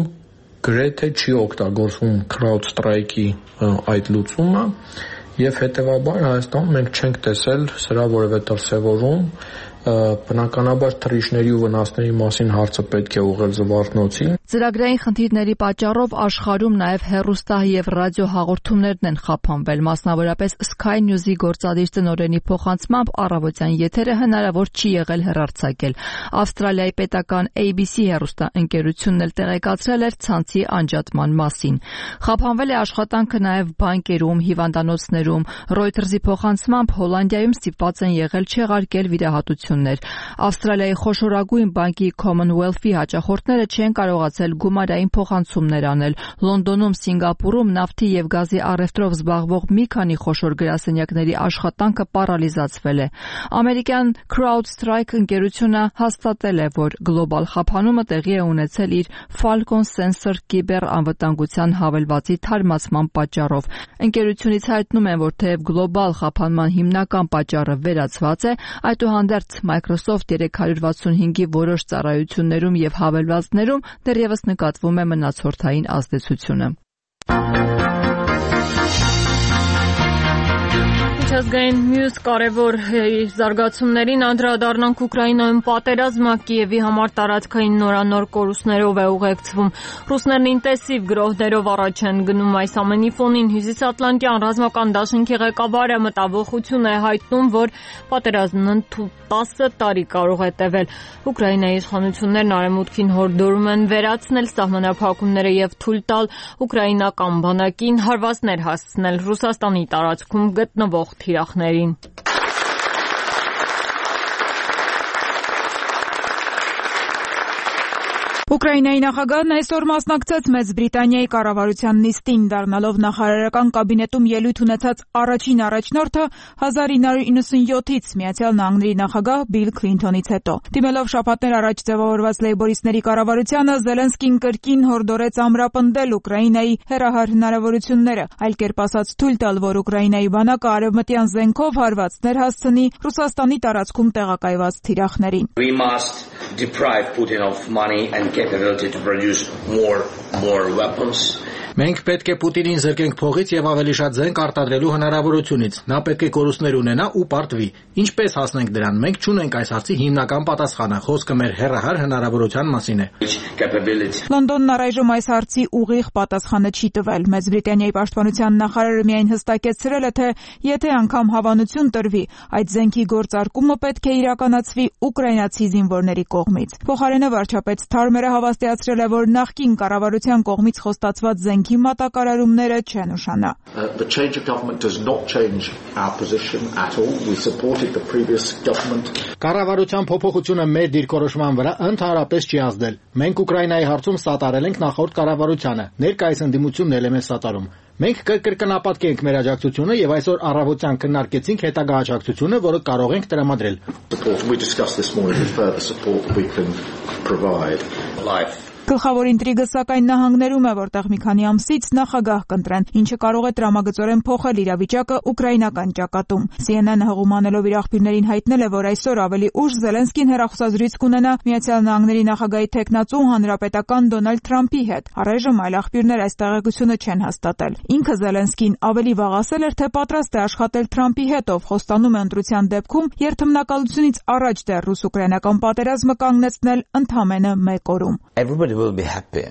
գրեթե չի օգտագործվում CrowdStrike-ի այդ լուծումը եւ հետեւաբար Հայաստանում մենք չենք տեսել սրա որևէ դրսեւորում։ Բնականաբար թռիչքների ու վնասների մասին հարցը պետք է ուղղել Զվարթնոցին։ Ծրագրային խնդիրների պատճառով աշխարհում նաև հեռուստա եւ ռադիո հաղորդումներն են խափանվել, մասնավորապես Sky News-ի գործադիր տնօրենի փոխանցմամբ առավոտյան եթերը հնարավոր չի եղել հեռարձակել։ Ավստրալիայի պետական ABC հեռուստաընկերությունն էլ տեղեկացրել էր ցանցի անջատման մասին։ Խափանվել է աշխատանքը նաև բանկերում, հիվանդանոցներում։ Reuters-ի փոխանցմամբ Հոլանդիայում ստիպված են եղել չեղարկել վիրահատություն։ Ավստրալիայի խոշորագույն բանկի Commonwealth-ի հաճախորդները չեն կարողացել գումարային փոխանցումներ անել։ Լոնդոնում, Սինգապուրում նավթի եւ գազի առևտրով զբաղվող մի քանի խոշոր գրասենյակների աշխատանքը պարալիզացվել է։ Ամերիկյան CrowdStrike ընկերությունը հաստատել է, որ գլոբալ խափանումը տեղի է ունեցել իր Falcon Sensor կիբեր անվտանգության հավելվածի թարմացման պատճառով։ Ընկերությունից հայտնում են, որ թեև գլոբալ խափանման հիմնական պատճառը վերացված է, այդուհանդերձ Microsoft 365-ի որոշ ծառայություններում եւ հավելվածներում դեռևս նկատվում է մնացորդային ազդեցությունը։ Միջազգային մյուս կարևոր զարգացումներին անդրադառնանք Ուկրաինայում պատերազմը Կիևի համար տարածքային նորանոր կորուստներով է ուղեկցվում։ Ռուսներն ինտենսիվ գրոհներով առաջ են գնում այս ամենի ֆոնին Հյուսիսատլանտյան ռազմական դաշինքի ղեկավարը մտավախություն է հայտնում, որ պատերազմն 10 տարի կարող է տևել։ Ուկրաինայի իշխանություններն արևմուտքին հորդորում են վերացնել սահմանափակումները եւ թույլ տալ ուկրաինական բանակին հարվածներ հասցնել Ռուսաստանի տարածքում գտնվող թիրախներին։ Ուկրաինայի նախագահն այսօր մասնակցեց Մեծ Բրիտանիայի կառավարության նիստին, դառնալով նախարարական կաբինետում ելույթ ունեցած առաջին առաջնորդը 1997-ից Միացյալ Նահանգների նախագահ Բիլ Քլինթոնից հետո։ Դիմելով շաբաթներ առաջ ձևավորված լեյբորիստների կառավարությանը, Զելենսկին կրկին հորդորեց ամրապնդել Ուկրաինայի հեռահար հնարավորությունները, այլ կերպ ասած թույլ տալ, որ Ուկրաինայի բանակը արևմտյան զենքով հարվածներ հասցնի Ռուսաստանի տարածքում տեղակայված թիրախներին։ We must deprive Putin of money and capability to produce more weapons. Մենք պետք է Պուտինին զրկենք փողից եւ ավելի շատ զենք արտադրելու հնարավորությունից։ Նա պետք է կորուստներ ունենա ու պարտվի։ Ինչպես հասնենք դրան, մենք չունենք այս հարցի հիմնական պատասխանը։ Խոսքը մեր հեռահար հնարավորության մասին է։ Լոնդոնն առայժմ այս հարցի ուղիղ պատասխանը չի տվել։ Մեծ Բրիտանիայի պաշտպանության նախարարը միայն հստակեցրել է, թե եթե անգամ հավանություն տրվի, այդ զենքի գործարկումը պետք է իրականացվի ուկրաինացի զինվորների կողմից։ Փոխարենը վարչապետ Սթարմերը հավաստիացրել է, որ նախկին կառավարության կողմից խոստացված զենքի մատակարարումները չեն ուշանա։ The change of government does not change our position at all. We supported the previous government. Կառավարության փոփոխությունը մեր դիրքորոշման վրա ընդհանրապես չի ազդել։ Մենք Ուկրաինայի հարցում սատարել ենք նախորդ կառավարությանը։ Ներկայիս ընդդիմությունն էլ է մեզ սատարում։ Մենք կրկնապատկի ենք մեր աջակցությունը եւ այսօր առավոտյան քննարկեցինք հետագա աջակցությունը, որը կարող ենք տրամադրել։ We discussed this morning the further support we can provide. Գլխավոր ինտրիգը սակայն նահանգներում է, որտեղ մի քանի ամսից նախագահ կընտրեն, ինչը կարող է տրամագծորեն փոխել իրավիճակը ուկրաինական ճակատում։ CNN-ը հղումանելով իր աղբյուրներին հայտնել է, որ այսօր ավելի ուշ Զելենսկին հեռախոսազրույց կունենա Միացյալ Նահանգների նախագահի թեկնածու հանրապետական Դոնալդ Թրամփի հետ։ Առայժմ այլ աղբյուրներ այս տեղեկությունը չեն հաստատել։ Ինքը Զելենսկին ավելի վաղ ասել էր, թե պատրաստ է աշխատել Թրամփի հետ, ով խոստանում է ընտրության դեպքում երթմնակալությունից առաջ դեռ ռուս-ուկրաինական պատերազմը կանգնեցնել ընդամենը 1 օրում։ Everybody will be happy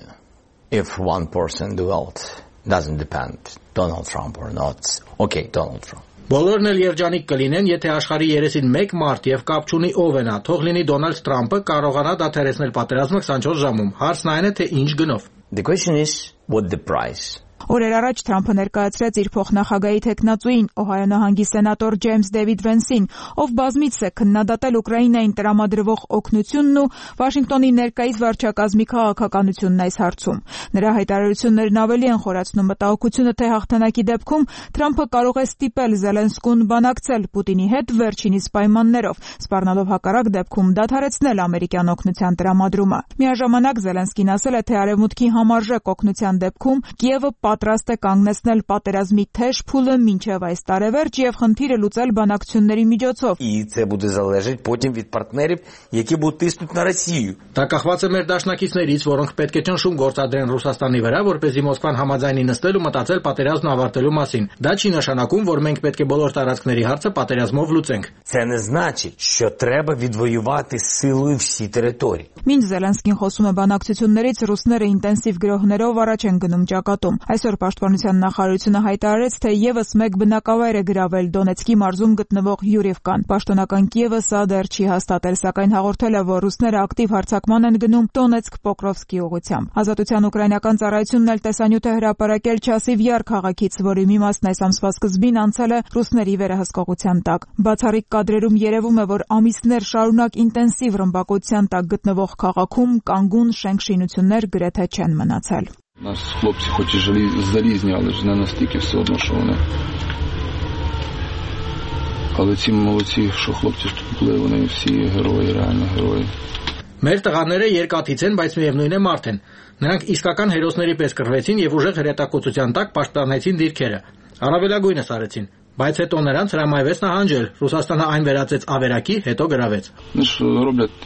if one person do it. Doesn't depend Donald Trump or not. Okay, Donald Trump. Բոլորն էլ երջանիկ կլինեն, եթե աշխարհի 33 մարդ եւ կապ չունի ով է նա, թող լինի Դոնալդ Թրամփը, կարողանա դադարեցնել պատերազմը 24 ժամում։ Հարցն այն է, թե ինչ գնով։ The question is what the price. Օրեր առաջ Թրամփը ներկայացրեց իր փոխնախագահի թեկնածուին, Օհայո նահանգի սենատոր Ջեյմս Դեվիդ Վենսին, ով բազմիցս է քննադատել Ուկրաինային տրամադրվող օգնությունն ու Վաշինգտոնի ներկայիս վարչակազմի քաղաքականությունն այս հարցում։ Նրա հայտարարություններն ավելի են խորացնում մտահոգությունը, թե հաղթանակի դեպքում Թրամփը կարող է ստիպել Զելենսկուն բանակցել Պուտինի հետ վերջինիս պայմաններով, սպառնալով հակառակ դեպքում դադարեցնել ամերիկյան օգնության տրամադրումը։ Միաժամանակ Զելենսկին ասել է, թե արևմուտքի համարժեք օգնության դեպքում Կիևը պատրաստ է կանգնեցնել պատերազմի թեժ փուլը մինչև այս տարեվերջ եւ խնդիրը լուծել բանակցությունների միջոցով։ І це буде залежати потім від партнерів, які будуть тиснути на Росію. Դա կախված է մեր դաշնակիցներից, որոնք պետք է ճնշում գործադրեն Ռուսաստանի վրա, որպեսզի Մոսկվան համաձայնի նստել ու մտածել պատերազմն ավարտելու մասին։ Դա չի նշանակում, որ մենք պետք է բոլոր տարածքների հարցը պատերազմով լուծենք։ Це не значить, що треба відвоювати силою всі території. Մինչ Զելենսկին խոսում է բանակցություններից, ռուսները ինտենսիվ գրոհներով առաջ են գնում ճակատում։ Այսօր Պաշտպանության նախարարությունը հայտարարեց, թե եւս մեկ բնակավայր է գրավել Դոնեցկի մարզում գտնվող Յուրիվկան։ Պաշտոնական Կիևը սա դեռ չի հաստատել, սակայն հաղորդել է, որ ռուսները ակտիվ հարձակման են գնում Դոնեցկ-Պոկրովսկի ուղղությամբ։ Ազատության ուկրաինական ծառայությունն էլ տեսանյութ է հրապարակել Չասիվյար քաղաքից, որի մի մասն այս ամսվա սկզբին անցել է ռուսների վերահսկողության տակ։ Բացառիկ կադրերում երևում է, որ ամիսներ шарунակ ինտենսիվ ռմբակոծության տակ գտնվող քաղաքում կանգուն շենք-շինություններ գրեթե չեն мնացել։ Нас хлопці хоч і залізні, але ж не настільки все одно, що вони. Але ці молодці, що хлопці ж тут були, вони всі герої, реально герої. Մեր տղաները երկաթից են, բայց միևնույն է մարդ են։ Նրանք իսկական հերոսների պես կռվեցին եւ ուժեղ հրետակոծության տակ պաշտպանեցին դիրքերը։ Առավելագույնս արեցին, բայց հետո նրանց հրամայվեց նահանջել։ Ռուսաստանը այն վերածեց ավերակի, հետո գրավեց։ Вони ж роблять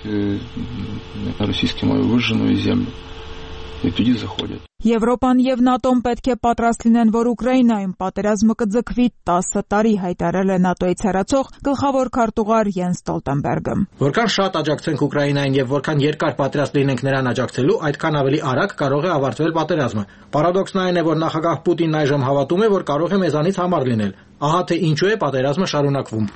на російській мові вижжену землю. І тоді заходять. Եվրոպան եւ ՆԱՏՕ-ն պետք է պատրաստ լինեն, որ Ուկրաինայում պատերազմը կձգվի 10 տարի, հայտարարել է ՆԱՏՕ-ից հեռացող գլխավոր քարտուղար Յենս Ստոլտենբերգը։ Որքան շատ աջակցենք Ուկրաինային եւ որքան երկար պատրաստ լինենք նրան աջակցելու, այդքան ավելի արագ կարող է ավարտվել պատերազմը։ Պարադոքսն այն է, որ նախագահ Պուտինն այժմ հավատում է, որ կարող է մեզանից համառ լինել։ Ահա թե ինչու է պատերազմը շարունակվում։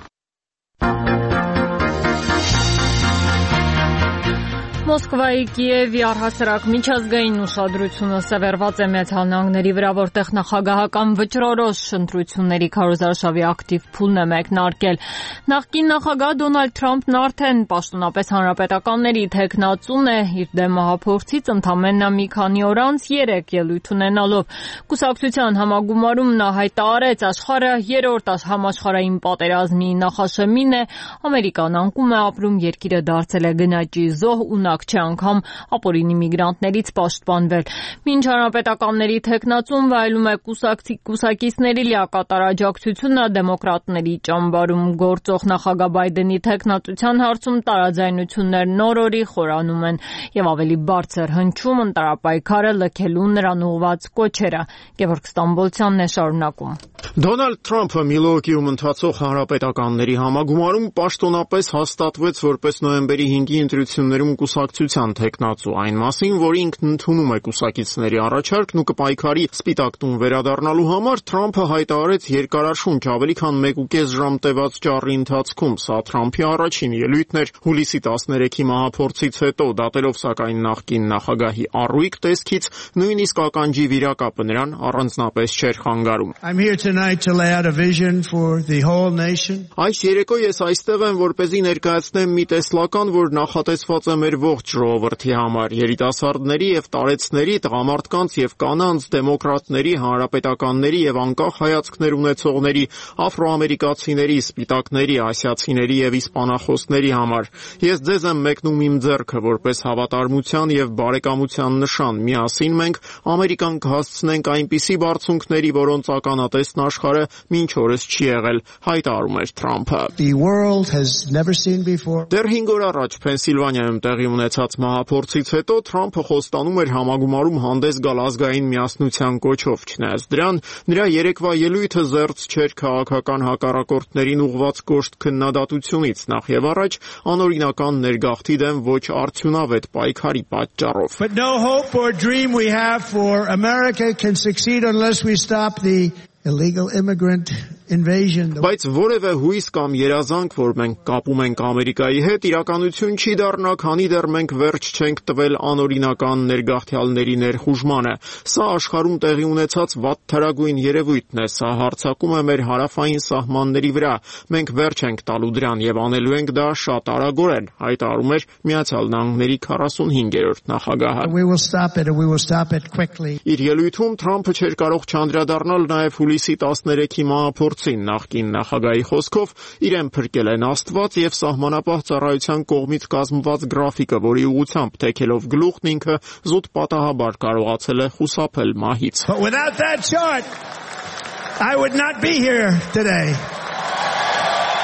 Մոսկվայի Կիևի առհասարակ միջազգային ուշադրությունը սևեռված է Միացյալ Նահանգների վրա, որտեղ նախագահական վճռորոշ ընտրությունների քարոզարշավի ակտիվ փուլն է մեկնարկել։ Նախկին նախագահ Դոնալդ Թրամփն արդեն պաշտոնապես հանրապետականների թեկնածուն է, իր դեմ մահափորձից ընդամենը մի քանի օր անց 3 ելույթ ունենալով։ Կուսակցության համագումարում նա հայտարարեց, աշխարհը երրորդ համաշխարհային պատերազմի նախաշեմին է, Ամերիկան անկում է ապրում, երկիրը դարձել է գնաճի զոհ ու չի անգամ ապօրինի միգրանտներից պաշտպանվել։ Մինչ հանրապետականների թեկնածուն վայելում է կուսակիցների լիակատար աջակցությունը, դեմոկրատների ճամբարում գործող նախագահ Բայդենի թեկնածության հարցում տարաձայնություններն օր-օրի խորանում են եւ ավելի բարձր հնչում ընտրապայքարը լքելու նրան ուղղված կոչերը։ Գևորգ Ստամբոլցյանն է շարունակում։ Դոնալդ Թրամփը Միլուոկիում ընթացող հանրապետականների համագումարում պաշտոնապես հաստատվեց որպես նոյեմբերի 5-ի ընտրություններում կուսակցության թեկնածու, այն մասին, որ ինքն ընդունում է կուսակիցների առաջարկն ու կպայքարի Սպիտակ տուն վերադառնալու համար, Թրամփը հայտարարեց երկարաշունչ ավելի քան 1.5 ժամ տևած ճառի ընթացքում։ Սա Թրամփի առաջին ելույթն էր հուլիսի 13-ի մահափորձից հետո, դատելով սակայն նախկին նախագահի առույգ տեսքից, նույնիսկ ականջի վիրակապը նրան առանձնապես չէր խանգարում։ Այս երեկո ես այստեղ եմ, որպեսզի ներկայացնեմ մի տեսլական, որ նախատեսված է մեր ողջ ժողովրդի համար, երիտասարդների եւ տարեցների, տղամարդկանց եւ կանանց, դեմոկրատների, հանրապետականների եւ անկախ հայացքներ ունեցողների, աֆրոամերիկացիների, սպիտակների, ասիացիների եւ իսպանախոսների համար։ Ես ձեզ եմ մեկնում իմ ձեռքը որպես հավատարմության եւ բարեկամության նշան։ Միասին մենք Ամերիկան կհասցնենք այնպիսի բարձունքների, որոնց ականատեսն աշխարհը մինչ օրս չի եղել, հայտարարում էր Թրամփը։ Դեռ 5 օր առաջ Փենսիլվանիայում տեղի ունեցած մահափորձից հետո Թրամփը խոստանում էր համագումարում հանդես գալ ազգային միասնության կոչով, չնայած դրան նրա երեկվա ելույթը զերծ չէր քաղաքական հակառակորդներին ուղղված կոշտ քննադատությունից, նախ եւ առաջ անօրինական ներգաղթի դեմ ոչ արդյունավետ պայքարի պատճառով. But no hope or dream we have for America can succeed unless we stop the illegal immigrant invasion. Բայց որևէ հույս կամ երազանք, որ մենք կապում ենք Ամերիկայի հետ, իրականություն չի դառնա, քանի դեռ մենք վերջ չենք տվել անօրինական ներգաղթյալների ներխուժմանը։ Սա աշխարհում տեղի ունեցած վատթարագույն երևույթն է, սա հարձակում է մեր հարավային սահմանների վրա։ Մենք վերջ ենք տալու դրան եւ անելու ենք դա շատ արագորեն, հայտարարում էր Միացյալ Նահանգների 45-րդ նախագահը։ We will stop it and we will stop it quickly. Իր ելույթում Թրամփը չէր կարող չանդրադառնալ նաեւ հուլիսի 13-ի մահափորձին, նախկին նախագահի խոսքով իրեն փրկել են Աստված եւ սահմանապահ ծառայության կողմից կազմված գրաֆիկը, որի ուղղությամբ թեքելով գլուխն ինքը զուտ պատահաբար կարողացել է խուսափել մահից. But without that chart, I would not be here today.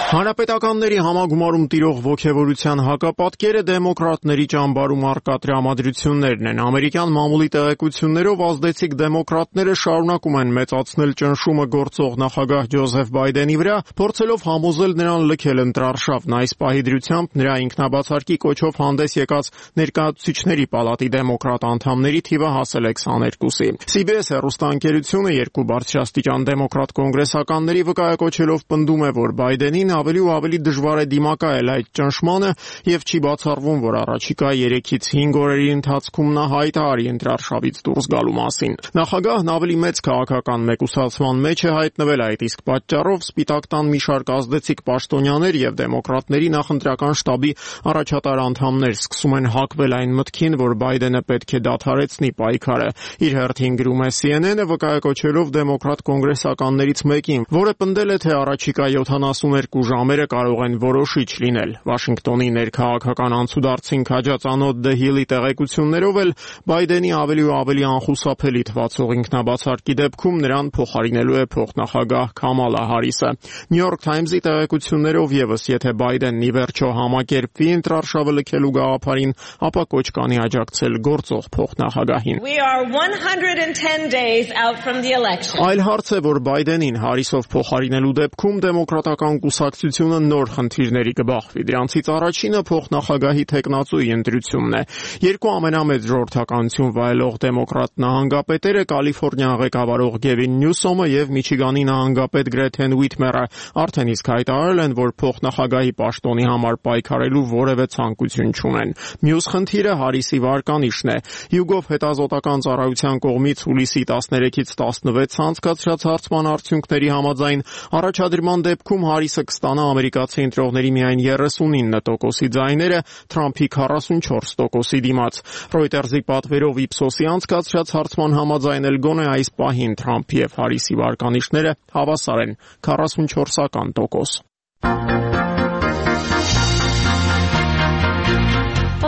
Հանրապետականների համագումարում տիրող ոգևորության հակապատկերը դեմոկրատների ճամբարում առկա տրամադրություններն են։ Ամերիկյան մամուլի տեղեկություններով ազդեցիկ դեմոկրատները շարունակում են մեծացնել ճնշումը գործող նախագահ Ջոզեֆ Բայդենի վրա, փորձելով համոզել նրան լքել ընտրարշավն։ Այս պահի դրությամբ նրա ինքնաբացարկի կոչով հանդես եկած ներկայացուցիչների պալատի դեմոկրատ անդամների թիվը հասել է 22-ի։ CBS հեռուստաընկերությունը երկու բարձրաստիճան դեմոկրատ կոնգրեսականների վկայակոչելով պնդում է, որ Բայդենին ավելի ու ավելի դժվար է դիմակայել այդ ճնշմանը եւ չի բացառվում, որ առաջիկա 3-ից 5 օրերի ընթացքում նա հայտարարի ընտրարշավից դուրս գալու մասին։ Նախագահն ավելի մեծ քաղաքական մեկուսացման մեջ է հայտնվել, այդ իսկ պատճառով Սպիտակ տան մի շարք ազդեցիկ պաշտոնյաներ եւ դեմոկրատների նախընտրական շտաբի առաջատար անդամներ սկսում են հակվել այն մտքին, որ Բայդենը պետք է դադարեցնի պայքարը։ Իր հերթին գրում է CNN-ը վկայակոչելով դեմոկրատ կոնգրեսականներից մեկին, որը պնդել է, թե առաջիկա 72 ժամերը կարող են որոշիչ լինել։ Վաշինգտոնի ներքաղաքական անցուդարձին քաջածանոթ The Hill-ի տեղեկություններով էլ Բայդենի ավելի ու ավելի անխուսափելի թվացող ինքնաբացարկի դեպքում նրան փոխարինելու է փոխնախագահ Քամալա Հարիսը։ New York Times-ի տեղեկություններով եւս, եթե Բայդենն ի վերջո համակերպվի ընտրարշավը լքելու գաղափարին, ապա կոչ կանի աջակցել գործող փոխնախագահին։ We are 110 days out from the election. Այլ հարց է, որ Բայդենին Հարիսով փոխարինելու դեպքում դեմոկրատական կուսակցությունը նոր խնդիրների կբախվի։ Դրանցից առաջինը փոխնախագահի թեկնածուի ընտրությունն է։ Երկու ամենամեծ ժողովրդականություն վայելող դեմոկրատ նահանգապետերը Կալիֆոռնիա ղեկավարող Գևին Նյուսոմը եւ Միչիգանի նահանգապետ Գրեթեն Ուիթմերը արդեն իսկ հայտարարել են, որ փոխնախագահի պաշտոնի համար պայքարելու որևէ ցանկություն չունեն։ Մյուս խնդիրը Հարիսի վարկանիշն է։ Հյուգով հետազոտական ծառայության կողմից հուլիսի 13-ից 16 անցկացրած հարցման արդյունքների համաձայն առաջադրման դեպքում Հարիսը կստանա ամերիկացի ընտրողների միայն 39%-ի ձայները Թրամփի 44%-ի դիմաց։ Reuters-ի պատվերով Ipsos-ի անցկացրած հարցման համաձայն էլ գոնե այս պահին Թրամփի եւ Հարիսի վարկանիշները հավասար են 44%։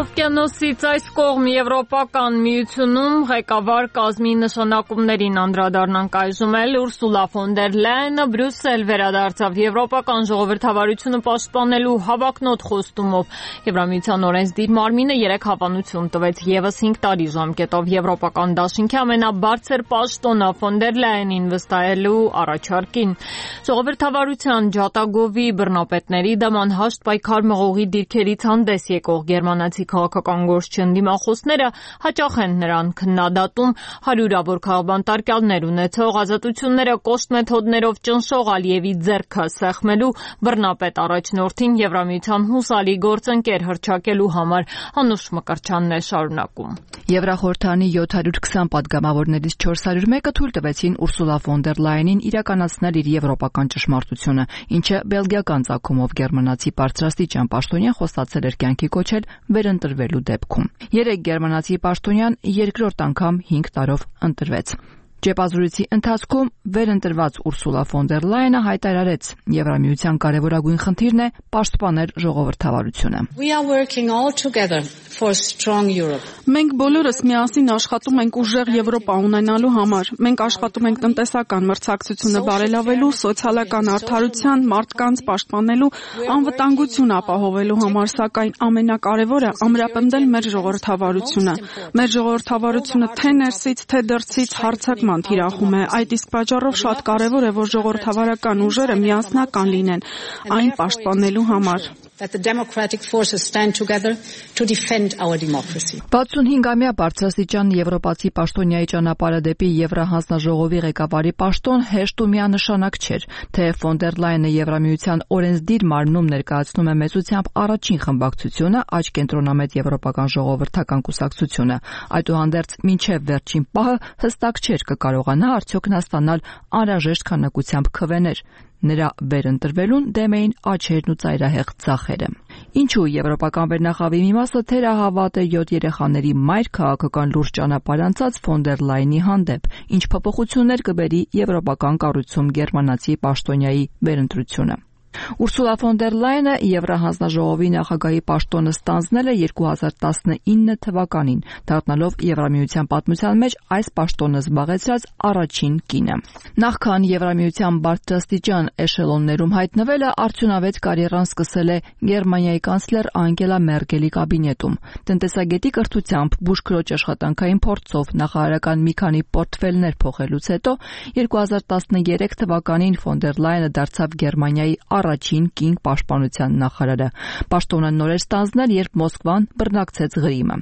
Օվկիանոսից այս կողմ Եվրոպական միությունում ղեկավար կազմի նշանակումներին անդրադառնանք այժմ էլ Ուրսուլա ֆոն դեր Լայենը Բրյուսել վերադարձավ Եվրոպական ժողովրդավարությունը պաշտպանելու հավակնոտ խոստումով։ Եվրամիության օրենսդիր մարմինը 3 հավանություն տվեց եւս 5 տարի ժամկետով Եվրոպական դաշինքի ամենաբարձր պաշտոնը ֆոն դեր Լայենին վստահելու առաջարկին։ Ժողովրդավարության ջատագովի բռնապետների դեմ անհաշտ պայքար մղողի դիրքերից հանդես եկող գերմանացի քաղաքական գործչին դիմախոսները հաճախ են նրան քննադատում հարյուրավոր քաղբանտարկյալներ ունեցող ազատությունները կոշտ մեթոդներով ճնշող Ալիևի ձեռքը սեղմելու բռնապետ առաջնորդին Եվրամիության հուսալի գործընկեր հռչակելու համար։ Հանուշ Մկրտչյանն է շարունակում։ Եվրախորհրդանի 720 падգամավորներից 401-ը թույլ տվեցին Ուրսուլա ֆոն դեր Լայենին իրականացնել իր եվրոպական ճշմարտությունը, ինչը բելգիական ծագումով գերմանացի բարձրաստիճան պաշտոնյան խոստացել էր կյանքի կոչել վերընտրվելու դեպքում։ 3 գերմանացի պաշտոնյան երկրորդ անգամ 5 տարով ընտրվեց։ Ճեպազրույցի ընթացքում վերընտրված Ուրսուլա ֆոն դեր Լայենը հայտարարեց, Եվրամիության կարևորագույն խնդիրն է պաշտպանել ժողովրդավարությունը։ Մենք բոլորս միասին աշխատում ենք ուժեղ Եվրոպա ունենալու համար։ Մենք աշխատում ենք տնտեսական մրցակցությունը բարելավելու, սոցիալական արդարության, մարդկանց պաշտպանելու, անվտանգություն ապահովելու համար, սակայն ամենակարևորը ամրապնդել մեր ժողովրդավարությունը։ Մեր ժողովրդավարությունը թե ներսից, թե դրսից հարձակման թիրախում է։ Այդ իսկ պատճառով շատ կարևոր է, որ ժողովրդավարական ուժերը միասնական լինեն այն պաշտպանելու համար։ 65-ամյա բարձրաստիճան եվրոպացի պաշտոնյայի ճանապարհը դեպի Եվրահանձնաժողովի ղեկավարի պաշտոն հեշտ ու միանշանակ չէր, թեև ֆոն դեր Լայենը Եվրամիության օրենսդիր մարմնում ներկայացնում է մեծությամբ առաջին խմբակցությունը, աջ կենտրոնամետ Եվրոպական ժողովրդական կուսակցությունը, այդուհանդերձ մինչև վերջին պահը հստակ չէր կկարողանա արդյոք նա ստանալ անհրաժեշտ քանակությամբ քվեներ։ Նրա վերընտրվելուն դեմ էին աչերն ու ծայրահեղ ձախերը։ Ինչու եվրոպական վերնախավի մի մասը թերահավատ է 7 երեխաների մայր քաղաքական լուրջ ճանապարհ անցած ֆոն դեր Լայենի հանդեպ, ինչ փոփոխություններ կբերի եվրոպական կառույցում գերմանացի պաշտոնյայի վերընտրությունը։ Ուրսուլա ֆոն դեր Լայենը Եվրահանձնաժողովի նախագահի պաշտոնը ստանձնել է 2019 թվականին, դառնալով Եվրամիության պատմության մեջ այս պաշտոնը զբաղեցրած առաջին կինը։ Նախքան Եվրամիության բարձրաստիճան էշելոններում հայտնվելը արդյունավետ կարիերան սկսել է Գերմանիայի կանցլեր Անգելա Մերկելի կաբինետում։ Տնտեսագետի կրթությամբ, բուժքրոջ աշխատանքային փորձով, նախարարական մի քանի պորտֆելներ փոխելուց հետո 2013 թվականին ֆոն դեր Լայենը դարձավ Գերմանիայի առաջին կին պաշտպանության նախարարը։ Պաշտոնը նոր էր ստանձնել, երբ Մոսկվան բռնակցեց Ղրիմը։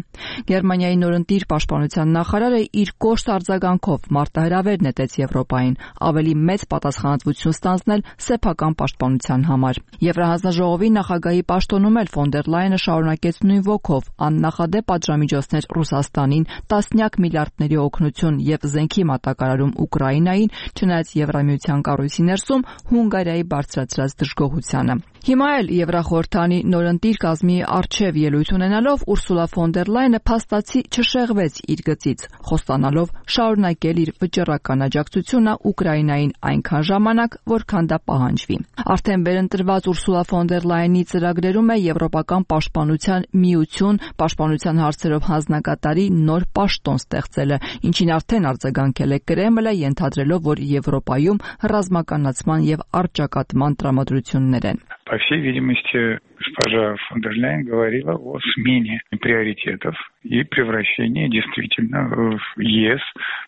Գերմանիայի նորընտիր պաշտպանության նախարարը իր կոշտ արձագանքով մարտահրավեր նետեց Եվրոպային, ավելի մեծ պատասխանատվություն ստանձնել սեփական պաշտպանության համար։ Եվրահանձնաժողովի նախագահի պաշտոնում էլ ֆոն դեր Լայենը շարունակեց նույն ոգով, աննախադեպ պատժամիջոցներ Ռուսաստանին, տասնյակ միլիարդների օգնություն եւ զենքի մատակարարում Ուկրաինային, չնայած Եվրամիության կառույցի ներսում Հունգարիայի բարձրացրած դժգոհությանը։ Հիմա էլ Եվրախորհրդանի նորընտիր կազմի առջև ելույթ ունենալով Ուրսուլա ֆոն դեր Լայենը փաստացի չշեղվեց իր գծից, խոստանալով շարունակել իր վճռական աջակցությունը Ուկրաինային այնքան ժամանակ, որքան դա պահանջվի։ Արդեն վերընտրված Ուրսուլա ֆոն դեր Լայենի ծրագրերում է Եվրոպական պաշտպանության միություն, պաշտպանության հարցերով հանձնակատարի նոր паштон ստեղծելը, ինչին արդեն արձագանքել է Կրեմլը, ենթադրելով, որ Եվրոպայում ռազմականացման եւ առճակատման տրամադրություններ են։ По всей видимости, госпожа фон дер Ляйен говорила о смене приоритетов и превращении действительно в ЕС,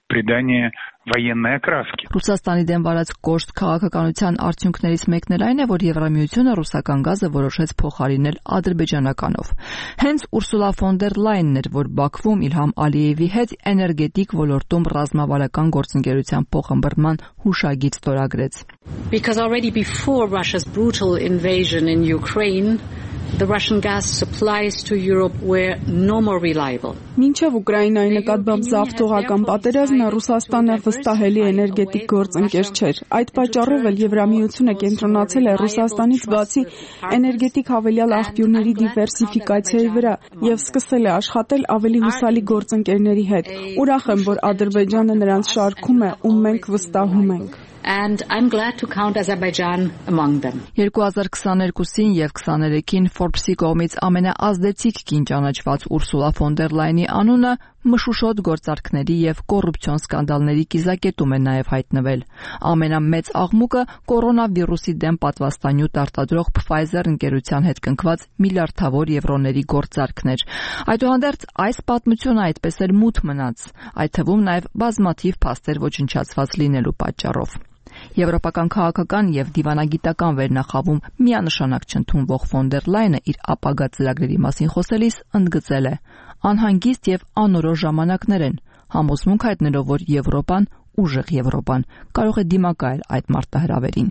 придание военной окраски. Ռուսաստանի դեմ վարած կոշտ քաղաքականության արդյունքներից մեկն էլ այն է, որ Եվրամիությունը ռուսական գազը որոշեց փոխարինել ադրբեջանականով։ Հենց Ուրսուլա ֆոն դեր Լայենն էր, որ Բաքվում Իլհամ Ալիևի հետ էներգետիկ ոլորտում ռազմավարական գործընկերության փոխըմբռնման հուշագիծ ստորագրեց։ Because already before Russia's brutal invasion in Ukraine, the Russian gas supplies to Europe were no more reliable. Մինչև Ուկրաինայի նկատմամբ զավթողական պատերազմը Ռուսաստանը վստահելի էներգետիկ գործընկեր չէր։ Այդ պատճառով էլ Եվրամիությունը կենտրոնացել է Ռուսաստանից բացի էներգետիկ հավելյալ աղբյուրների դիվերսիֆիկացիայի վրա եւ սկսել է աշխատել ավելի հուսալի գործընկերների հետ։ Ուրախ եմ, որ Ադրբեջանը նրանց շարքում է, ում մենք վստահում ենք։ And I'm glad to count Azerbaijan among them. 2022-ին եւ 23-ին Forbes-ի կողմից ամենաազդեցիկ կին ճանաչված Ուրսուլա ֆոն դեր Լայենի անունը մշուշոտ գործարքների եւ կոռուպցիոն սկանդալների կիզակետում է նաեւ հայտնվել։ Ամենամեծ աղմուկը կորոնավիրուսի դեմ պատվաստանյութ արտադրող Pfizer ընկերության հետ կնքված միլիարդավոր եվրոների գործարքներ։ Այդուհանդերձ այս պատմությունը այդպես էլ մութ մնաց, այդ թվում նաեւ բազմաթիվ փաստեր ոչնչացված լինելու պատճառով։ Եվրոպական քաղաքական եւ դիվանագիտական վերնախավում միանշանակ չընդունվող ֆոն դեր Լայենը իր ապագա ծրագրերի մասին խոսելիս ընդգծել է. անհանգիստ եւ անորոշ ժամանակներ են, համոզմունք հայտնելով, որ Եվրոպան, ուժեղ Եվրոպան, կարող է դիմակայել այդ մարտահրավերին։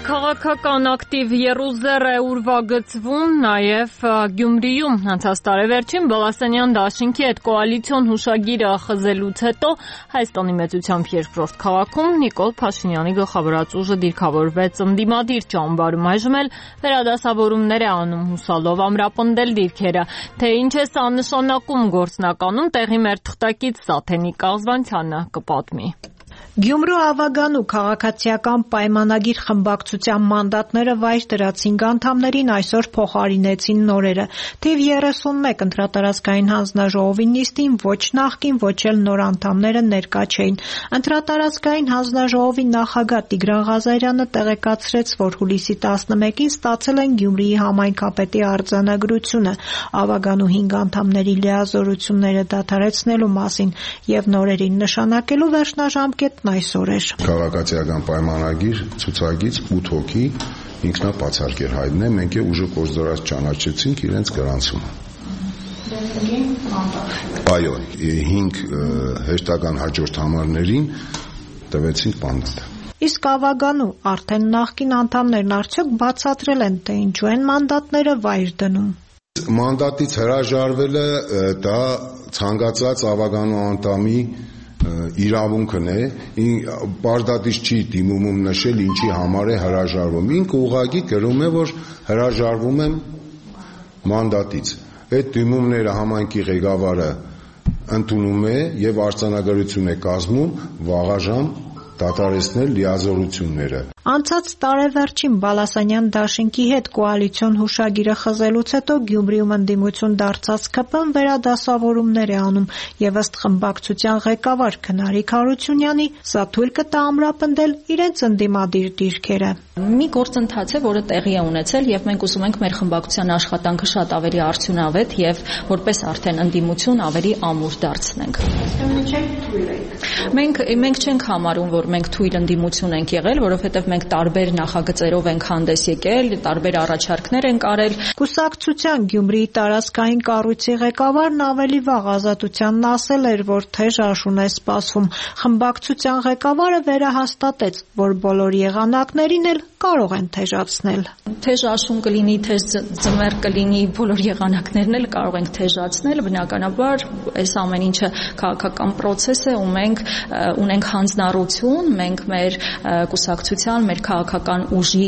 քաղաքական ակտիվ եռուզեռ է ուրվագծվում նաև Գյումրիում։ Անցած տարեվերջին Բալասանյան դաշինքի հետ կոալիցիոն հուշագիրը խզելուց հետո Հայաստանի մեծությամբ երկրորդ քաղաքում Նիկոլ Փաշինյանի գլխավորած ուժը դիրքավորվեց ընդդիմադիր ճամբարում։ Այժմ էլ վերադասավորումներ է անում հուսալով ամրապնդել դիրքերը։ Թե ինչ է սա նշանակում գործնականում, տեղի մեր թղթակից Սաթենիկ Աղզվանցյանը կպատմի։ Գյումրու Ավագանու քաղաքացիական պայմանագիր խմբակցության մանդատները վայր դրած 5 անդամներին այսօր փոխարինեցին նորերը։ Թիվ 31 ընտրատարածքային հանձնաժողովի նիստին ոչ նախկին, ոչ էլ նոր անդամները ներկա չէին։ Ընտրատարածքային հանձնաժողովի նախագահ Տիգրան Ղազարյանը տեղեկացրեց, որ հուլիսի 11-ին ստացել են Գյումրիի համայնքապետի արձանագրությունը Ավագանու 5 անդամների լիազորությունները դադարեցնելու մասին եւ նորերին նշանակելու վերջնաժամկետ այսօր էր։ Քաղաքացիական պայմանագիր ցուցակից 8 հոգի ինքնապացարկ էր հայտնել, մենք է ուժը կորզորած ճանաչեցինք իրենց գրանցումը։ Այո, 5 հերթական հաջորդ համարներին տվեցինք մանդատ։ Իսկ Ավագանու արդեն նախկին անդամներն արդյոք բացատրել են, թե ինչու են մանդատները վայր դնում։ Մանդատից հրաժարվելը դա ցանկացած Ավագանու անդամի իրավունքն է, պարտադիր չի դիմումում նշել ինչի համար է հրաժարվում։ Ինքը ուղղակի գրում է, որ հրաժարվում եմ մանդատից։ Այդ դիմումները համայնքի ղեկավարը ընդունում է եւ արձանագրություն է կազմում վաղաժամ դադարեցնել լիազորությունները։ Անցած տարեվերջին Բալասանյան դաշինքի հետ կոալիցիոն հուշագիրը խզելուց հետո Գյումրիում ընդդիմություն դարձած ԿՊ-ն վերադասավորումներ է անում եւ ըստ խմբակցության ղեկավար Քնարիկ Հարությունյանի սա թույլ կտա ամրապնդել իրենց ընդդիմադիր դիրքերը։ Մի գործընթաց է, որը տեղի է ունեցել եւ մենք ուզում ենք մեր խմբակցության աշխատանքը շատ ավելի արդյունավետ եւ որպես արդեն ընդդիմություն ավելի ամուր դարձնենք։ Մենք չենք համարում, որ մենք թույլ ընդդիմություն ենք եղել, որովհետեւ մենք տարբեր նախագծերով ենք հանդես եկել, տարբեր առաջարկներ ենք արել։ Կուսակցության Գյումրիի տարածքային կառույցի ղեկավարն ավելի վաղ Ազատությանն ասել էր, որ թեժ աշուն է սպասվում։ Խմբակցության ղեկավարը վերահաստատեց, որ բոլոր եղանակներին էլ կարող են թեժացնել։ Թեժ աշուն կլինի, թեժ ձմեռ կլինի, բոլոր եղանակներն էլ կարող ենք թեժացնել, բնականաբար այս ամեն ինչը քաղաքական process է ու մենք ունենք հանձնառություն, մենք մեր կուսակցության, մեր քաղաքական ուժի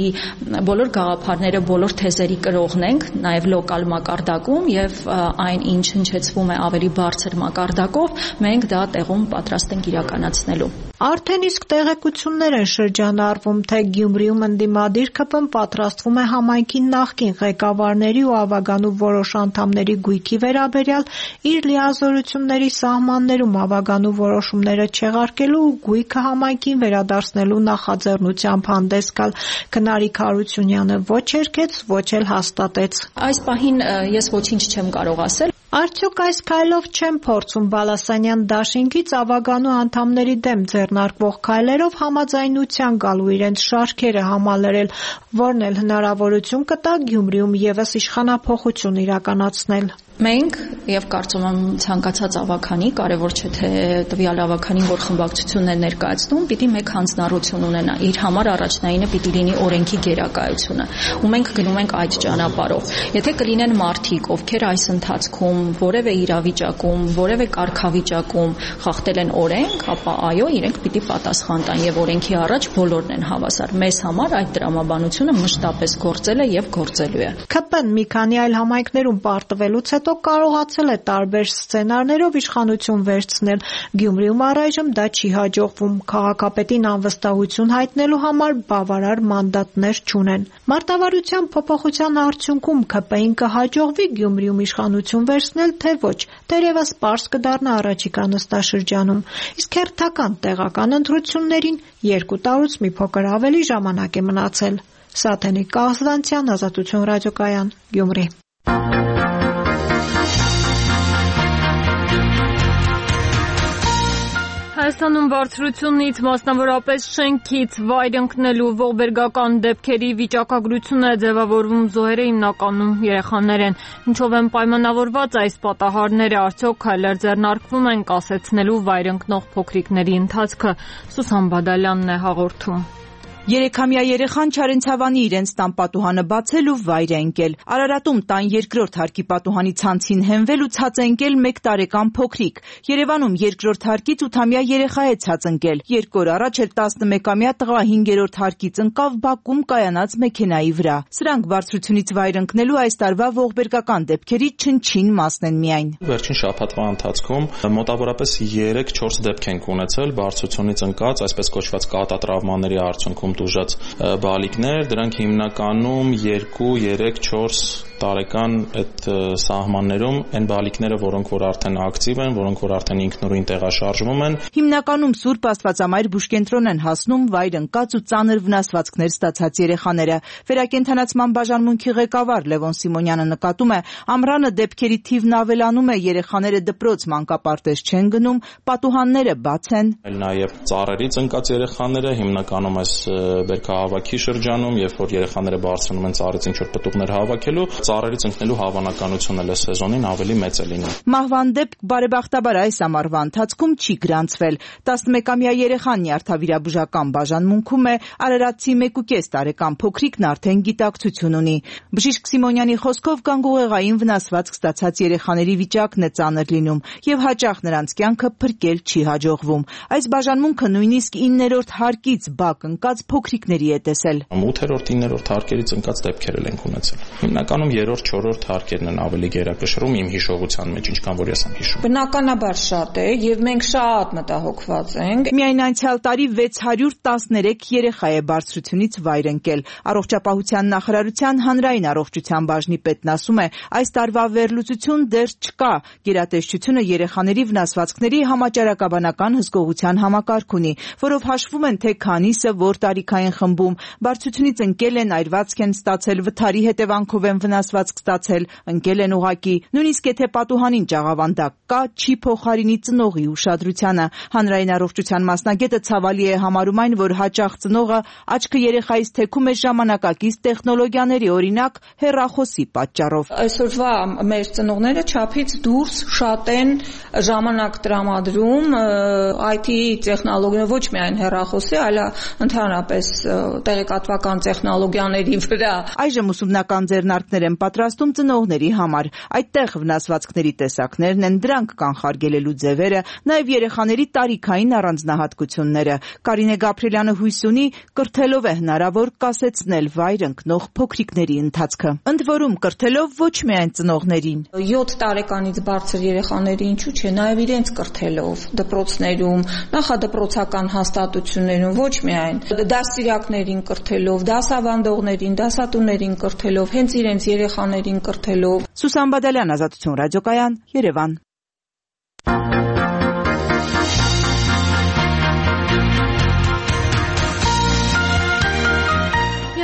բոլոր գաղափարները, բոլոր թեզերի կրողն ենք, նաև լոկալ մակարդակում եւ այն ինչ հնչեցվում է ավելի բարձր մակարդակով, մենք դա տեղում պատրաստ ենք իրականացնելու։ Արդեն իսկ տեղեկություններ են շրջանառվում, թե Գյումրիում ընդդիմադիր ԿՊ-ն պատրաստվում է համայնքի նախկին ղեկավարների ու Ավագանու որոշ անդամների գույքի վերաբերյալ իր լիազորությունների սահմաններում Ավագանու որոշումները չեղարկելու ու գույքը համայնքին վերադարձնելու նախաձեռնությամբ հանդես գալ։ Քնարիկ Հարությունյանը ոչ երգեց, ոչ էլ հաստատեց։ Այս պահին ես ոչինչ չեմ կարող ասել։ Արդյոք այս քայլով չեն փորձում Բալասանյան դաշինքից Ավագանու անդամների դեմ ձեռնարկվող քայլերով համաձայնության գալու իրենց շարքերը համալրել, որն էլ հնարավորություն կտա Գյումրիում եւս իշխանափոխություն իրականացնել։ Մենք եւ կարծում եմ ցանկացած ավագանի, կարեւոր չէ թե տվյալ ավագանին, որ խմբակցությունն է ներկայացնում, պիտի մեկ հանձնառություն ունենա։ Իր համար առաջնայինը պիտի լինի օրենքի գերակայությունը, ու մենք գնում ենք այդ ճանապարհով։ Եթե կլինեն մարդիկ, ովքեր այս ընթացքում որևէ իրավիճակում, որևէ կարգավիճակում խախտել են օրենք, ապա այո, իրենք պիտի պատասխան տան եւ օրենքի առաջ բոլորն են հավասար։ Մեզ համար այդ տրամաբանությունը մշտապես գործել է եւ գործելու է։ ԿՊ-ն մի քանի այլ համայնքներում պարտվելուց հետո կարողացել է տարբեր սցենարներով իշխանություն վերցնել։ Գյումրիում առայժմ դա չի հաջողվում։ Քաղաքապետին անվստահություն հայտնելու համար բավարար մանդատներ չունեն։ Մարտավարության փոփոխության արդյունքում ԿՊ-ին կհաջողվի Գյումրիում իշխանություն վերցնել, թե ոչ, դեռևս պարզ կդառնա առաջիկա նստաշրջանում։ Իսկ հերթական տեղական ընտրություններին 2 տարուց մի փոքր ավելի ժամանակ է մնացել։ Սաթենիկ Աղզվանցյան, Ազատություն ռադիոկայան, Գյումրի։ Հայաստանում բարձրությունից, մասնավորապես շենքից վայր ընկնելու ողբերգական դեպքերի վիճակագրություն է ձևավորվում զոհերը հիմնականում երեխաներ են։ Ինչով են պայմանավորված այս պատահարները, արդյոք քայլեր ձեռնարկվում են կասեցնելու վայր ընկնող փոքրիկների ընթացքը։ Սուսան Բադալյանն է հաղորդում։ 3-ամյա երեխան Չարենցավանի իրենց տան պատուհանը բացել ու վայր է ընկել։ Արարատում տան 2-րդ հարկի պատուհանի ցանցին հենվել ու ցած է ընկել 1 տարեկան փոքրիկ։ Երևանում 2-րդ հարկից 8-ամյա երեխա է ցած ընկել։ 2 օր առաջ էլ 11-ամյա տղա 5-րդ հարկից ընկավ Բաքում կայանած մեքենայի վրա։ Սրանք բարձրությունից վայր ընկնելու այս տարվա ողբերգական դեպքերի չնչին մասն են միայն։ Վերջին շաբաթվա ընթացքում մոտավորապես 3-4 դեպք ենք ունեցել բարձրությունից ընկած, այսպես կոչված կատատրավմաների արդյունքում դուժած բալիկներ, դրանք հիմնականում 2, 3, 4 տարեկան այդ սահմաններում են բալիկները, որոնք որ արդեն ակտիվ են, որոնք որ արդեն ինքնուրույն տեղաշարժվում են։ Հիմնականում Սուրբ Աստվածամայր բուժկենտրոն են հասնում վայր ընկած ու ծանր վնասվածքներ ստացած երեխաները։ Վերակենդանացման բաժանմունքի ղեկավար Լևոն Սիմոնյանը նկատում է, ամռանը դեպքերի թիվն ավելանում է, երեխաները դպրոց մանկապարտեզ չեն գնում, պատուհանները բաց են։ Նաև ծառերից ընկած երեխաները հիմնականում այս բերքահավաքի շրջանում, երբ որ երեխաները բարձրանում են ծառից ինչ-որ պտուղներ հավաքելու, ծառերից ընկնելու հավանականությունն էլ սեզոնին ավելի մեծ է լինում։ Մահվան դեպք բարեբախտաբար այս ամառվա ընթացքում չի գրանցվել։ 11-ամյա երեխան նյարդավիրաբուժական բաժանմունքում է, արարատցի 1.5 տարեկան փոքրիկն արդեն գիտակցություն ունի։ Բժիշկ Սիմոնյանի խոսքով գանգուղեղային վնասվածք ստացած երեխաների վիճակն է ծանր լինում եւ հաճախ նրանց կյանքը փրկել չի հաջողվում։ Այս բաժանմունքը նույնիսկ 9-րդ հարկից բակ ընկած փոքրիկների է տեսել։ 8-րդ, 9-րդ հարկերից ընկած դեպքեր ենք ունեցել։ Հիմնականում 3-րդ, 4-րդ հարկերն են ավելի գերակշռում իմ հիշողության մեջ, ինչքան որ ես եմ հիշում։ Բնականաբար շատ է եւ մենք շատ մտահոգված ենք։ Միայն անցյալ տարի 613 երեխա է բարձրությունից վայր ընկել։ Առողջապահության նախարարության հանրային առողջության բաժնի պետն ասում է, այս տարվա վերլուծություն դեռ չկա։ Գերատեսչությունը երեխաների վնասվածքների համաճարակաբանական հսկողության համակարգ ունի, որով հաշվում են թե քանիսը որ տարիքային խմբում բարձրությունից ընկել են, այրվածք են ստացել, վթարի հետևանքով են վնասվածք ստացել, ընկել են ուղակի։ Նույնիսկ եթե պատուհանին ճաղավանդակ կա, չի փոխարինի ծնողի ուշադրությանը։ Հանրային առողջության մասնագետը ցավալի է համարում այն, որ հաճախ ծնողը աչքը երեխայից թեքում է ժամանակակից տեխնոլոգիաների, օրինակ հեռախոսի պատճառով։ Այսօրվա մեր ծնողները չափից դուրս շատ են ժամանակ տրամադրում IT տեխնոլոգիա, ոչ միայն հեռախոսի, այլ ընդհանրապես տեղեկատվական տեխնոլոգիաների վրա։ Այժմ ուսումնական ձեռնարկներ են պատրաստում ծնողների համար։ Այդտեղ վնասվածքների տեսակներն են, դրանք կանխարգելելու ձևերը, նաև երեխաների տարիքային առանձնահատկությունները։ Կարինե Գաբրիելյանը հույս ունի, կրթելով է հնարավոր կասեցնել վայր ընկնող փոքրիկների ընթացքը։ Ընդ որում կրթելով ոչ միայն ծնողներին։ 7 տարեկանից բարձր երեխաների ինչու՞ չէ, նաև իրենց կրթելով դպրոցներում, նախադպրոցական հաստատություններում, ոչ միայն դասիրակներին կրթելով, դասավանդողներին, դասատուներին կրթելով, հենց իրենց երեխաներին կրթելով։ Սուսան Բադալյան, Ազատություն ռադիոկայան, Երևան։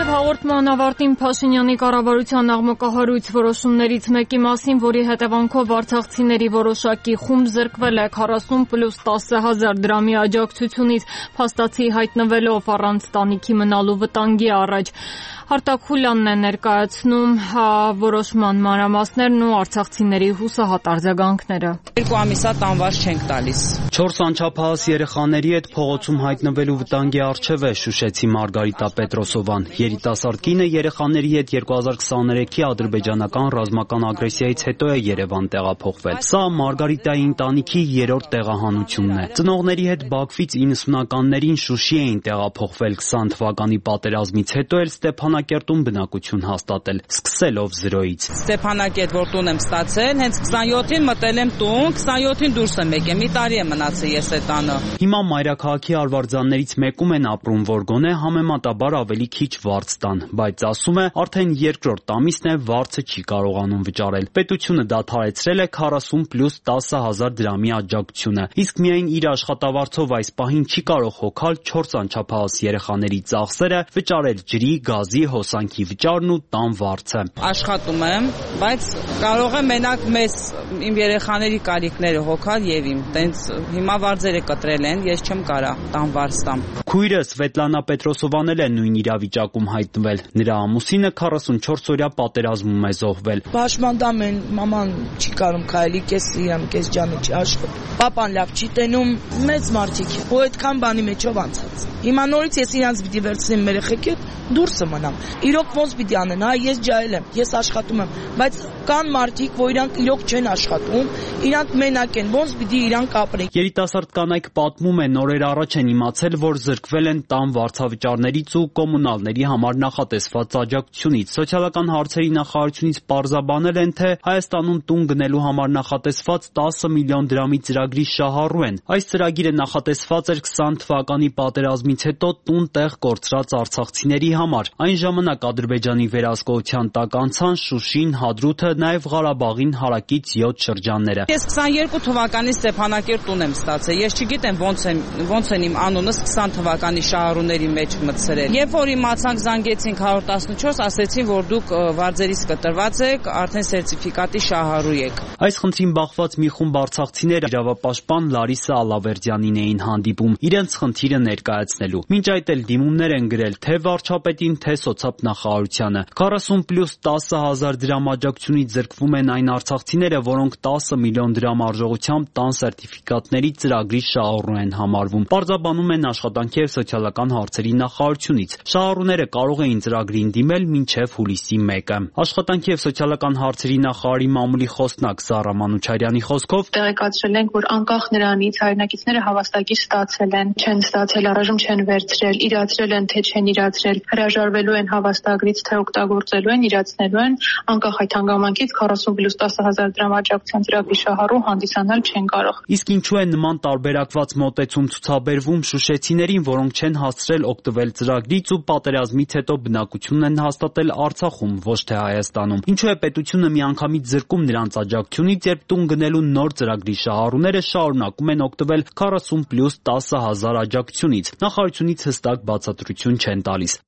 Հաղորդման ավարտին Փաշինյանի կառավարության աղմկահարույց որոշումներից մեկի մասին, որի հետևանքով արցախցիների որոշակի խումբ զրկվել է 40+10,000 դրամի աջակցությունից, փաստացի հայտնվելով առանց տանիքի մնալու վտանգի առաջ։ Արտակ Խուլյանն է ներկայացնում որոշման մանրամասներն ու արցախցիների հուսահատ արձագանքները։ 2 ամիսա տանվար չենք տալիս։ 4 անչափահաս երեխաների հետ փողոցում հայտնվելու վտանգի առջև է Շուշեցի Մարգարիտա Պետրոսովան։ Երիտասարդ կինը երեխաների հետ 2023-ի ադրբեջանական ռազմական ագրեսիայից հետո է Երևան տեղափոխվել։ Սա Մարգարիտայի ընտանիքի 3-րդ տեղահանությունն է։ Ծնողների հետ Բաքվից 90-ականներին Շուշի էին տեղափոխվել, 20 թվականի պատերազմից հետո էլ Ստեփանակերտում բնակություն հաստատել, սկսելով 0-ից։ Ստեփանակերտ որ տուն եմ ստացել, հենց 27-ին մտել եմ տուն, 27-ին դուրս եմ եկել, մի տարի է մնացել ես այդ տանը։ Հիմա մայրաքաղաքի արվարձաններից մեկում են ապրում, որ գոնե համեմատաբար ավելի քիչ վարձ տան, բայց ասում է, արդեն 2-րդ ամիսն է վարձը չի կարողանում վճարել։ Պետությունը դադարեցրել է 40+10,000 դրամի աջակցությունը, իսկ միայն իր աշխատավարձով այս պահին չի կարող հոգալ 4 անչափահաս երեխաների ծախսերը, վճարել ջրի, գազի, հոսանքի վճարն ու տան վարձը։ Աշխատում եմ, բայց կարող եմ մենակ իմ երեխաների կարիքները հոգալ եւ իմ։ Տենց հիմա վարձերը կտրել են, ես չեմ կարա տան վարձ տամ։ Քույրը Սվետլանա Պետրոսովան էլ է նույն իրավիճակում հայտնվել։ օգտվել։ Նրա ամուսինը 44-օրյա պատերազմում է զոհվել։ Պաշտպանդամ են, մաման չի կարում քայլի, կես իրամ, կես ջանը չի աշխատում։ Պապան լավ չի տենում, մեծ մարդիկ է։ Ու այդքան բանի մեջով անցած։ Հիմա նորից ես իրանց պիտի վերցնեմ մեր երեխեքիդ, դուրսը մնամ։ Իրոք ոնց պիտի անեն, հա, ես ջահել եմ, ես աշխատում եմ, բայց կան մարդիկ, որ իրանք իրոք չեն աշխատում, իրանք մենակ են, ոնց պիտի իրանք ապրեն։ Երիտասարդ կանայք պատմում են, նորեր առաջ են իմացել, որ զրկվել են տան վարձավճարներից ու կոմունալների համար նախատեսված աջակցությունից։ Սոցիալական հարցերի նախարարությունից պարզաբանել են, թե Հայաստանում տուն գնելու համար նախատեսված 10 միլիոն դրամի ծրագրի շահառու են։ Այս ծրագիրը նախատեսված էր 20 թվականի պատերազմից հետո տուն տեղ կորցրած արցախցիների համար։ Այն ժամանակ Ադրբեջանի վերահսկողության տակ անցան Շուշին, Հադրութը, նաև Ղարաբաղին հարակից 7 շրջանները։ Ես 22 թվականի Ստեփանակերտ տուն եմ ստացել։ Ես չգիտեմ ոնց են իմ անունս 20 թվականի շահառուների մեջ մտցրել։ Երբ որ իմացանք, զանգեցինք 114, ասեցին, որ դուք վարձերից կտրված եք, արդեն սերտիֆիկատի շահառու եք։ Այս խնդրին բախված մի խումբ արցախցիներ իրավապաշտպան Լարիսա Ալավերդյանին էին հանդիպում իրենց խնդիրը ներկայացնելու։ Մինչ այդ էլ դիմումներ են գրել թե վարչապետին, թե սոցիալնախարարությանը։ 40+ 10,000 դրամ աջակցությունից զրկվում են այն արցախցիները, որոնք 10 միլիոն դրամ արժողությամբ տան սերտիֆիկատների ծրագրի շահառու են համարվում։ Պարզաբանում են աշխատանքի և սոցիալական հարցերի նախարարությունից։ Շահառուները կարող էին ծրագրին դիմել մինչև հուլիսի 1-ը։ Աշխատանքի և սոցիալական հարցերի նախարարի մամուլի խոսնակ Զառա Մանուչարյանի խոսքով տեղեկացրել ենք, որ անկախ նրանից հայրենակիցները հավաստագիր ստացել են, չեն ստացել, առայժմ չեն վերցրել, իրացրել են, թե չեն իրացրել, հրաժարվելու են հավաստագրից, թե օգտագործելու են, իրացնելու են, անկախ այդ հանգամանքից 40+ 10,000 դրամ աջակցության ծրագրի շահառու հանդիսանալ չեն կարող։ Իսկ ինչու է նման տարբերակված մոտեցում ցուցաբերվում շուշեցիներին, որոնք չեն հասցրել օգտվել ծրագրից ու պատերազմից հետո բնակություն են հաստատել Արցախում, ոչ թե Հայաստանում։ Ինչու է պետությունը միանգամից զրկում նրանց աջակցությունից, երբ տուն գնելու նոր ծրագրի շահառուները շարունակում են օգտվել 40+ 10,000 աջակցությունից։ Նախարարությունից հստակ բացատրություն չեն տալիս։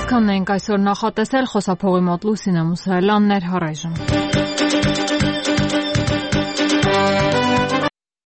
Այսքանն ենք այսօր նախատեսել, խոսափողի մոտ Լուսինե Մուսայելյանն էր, առայժմ։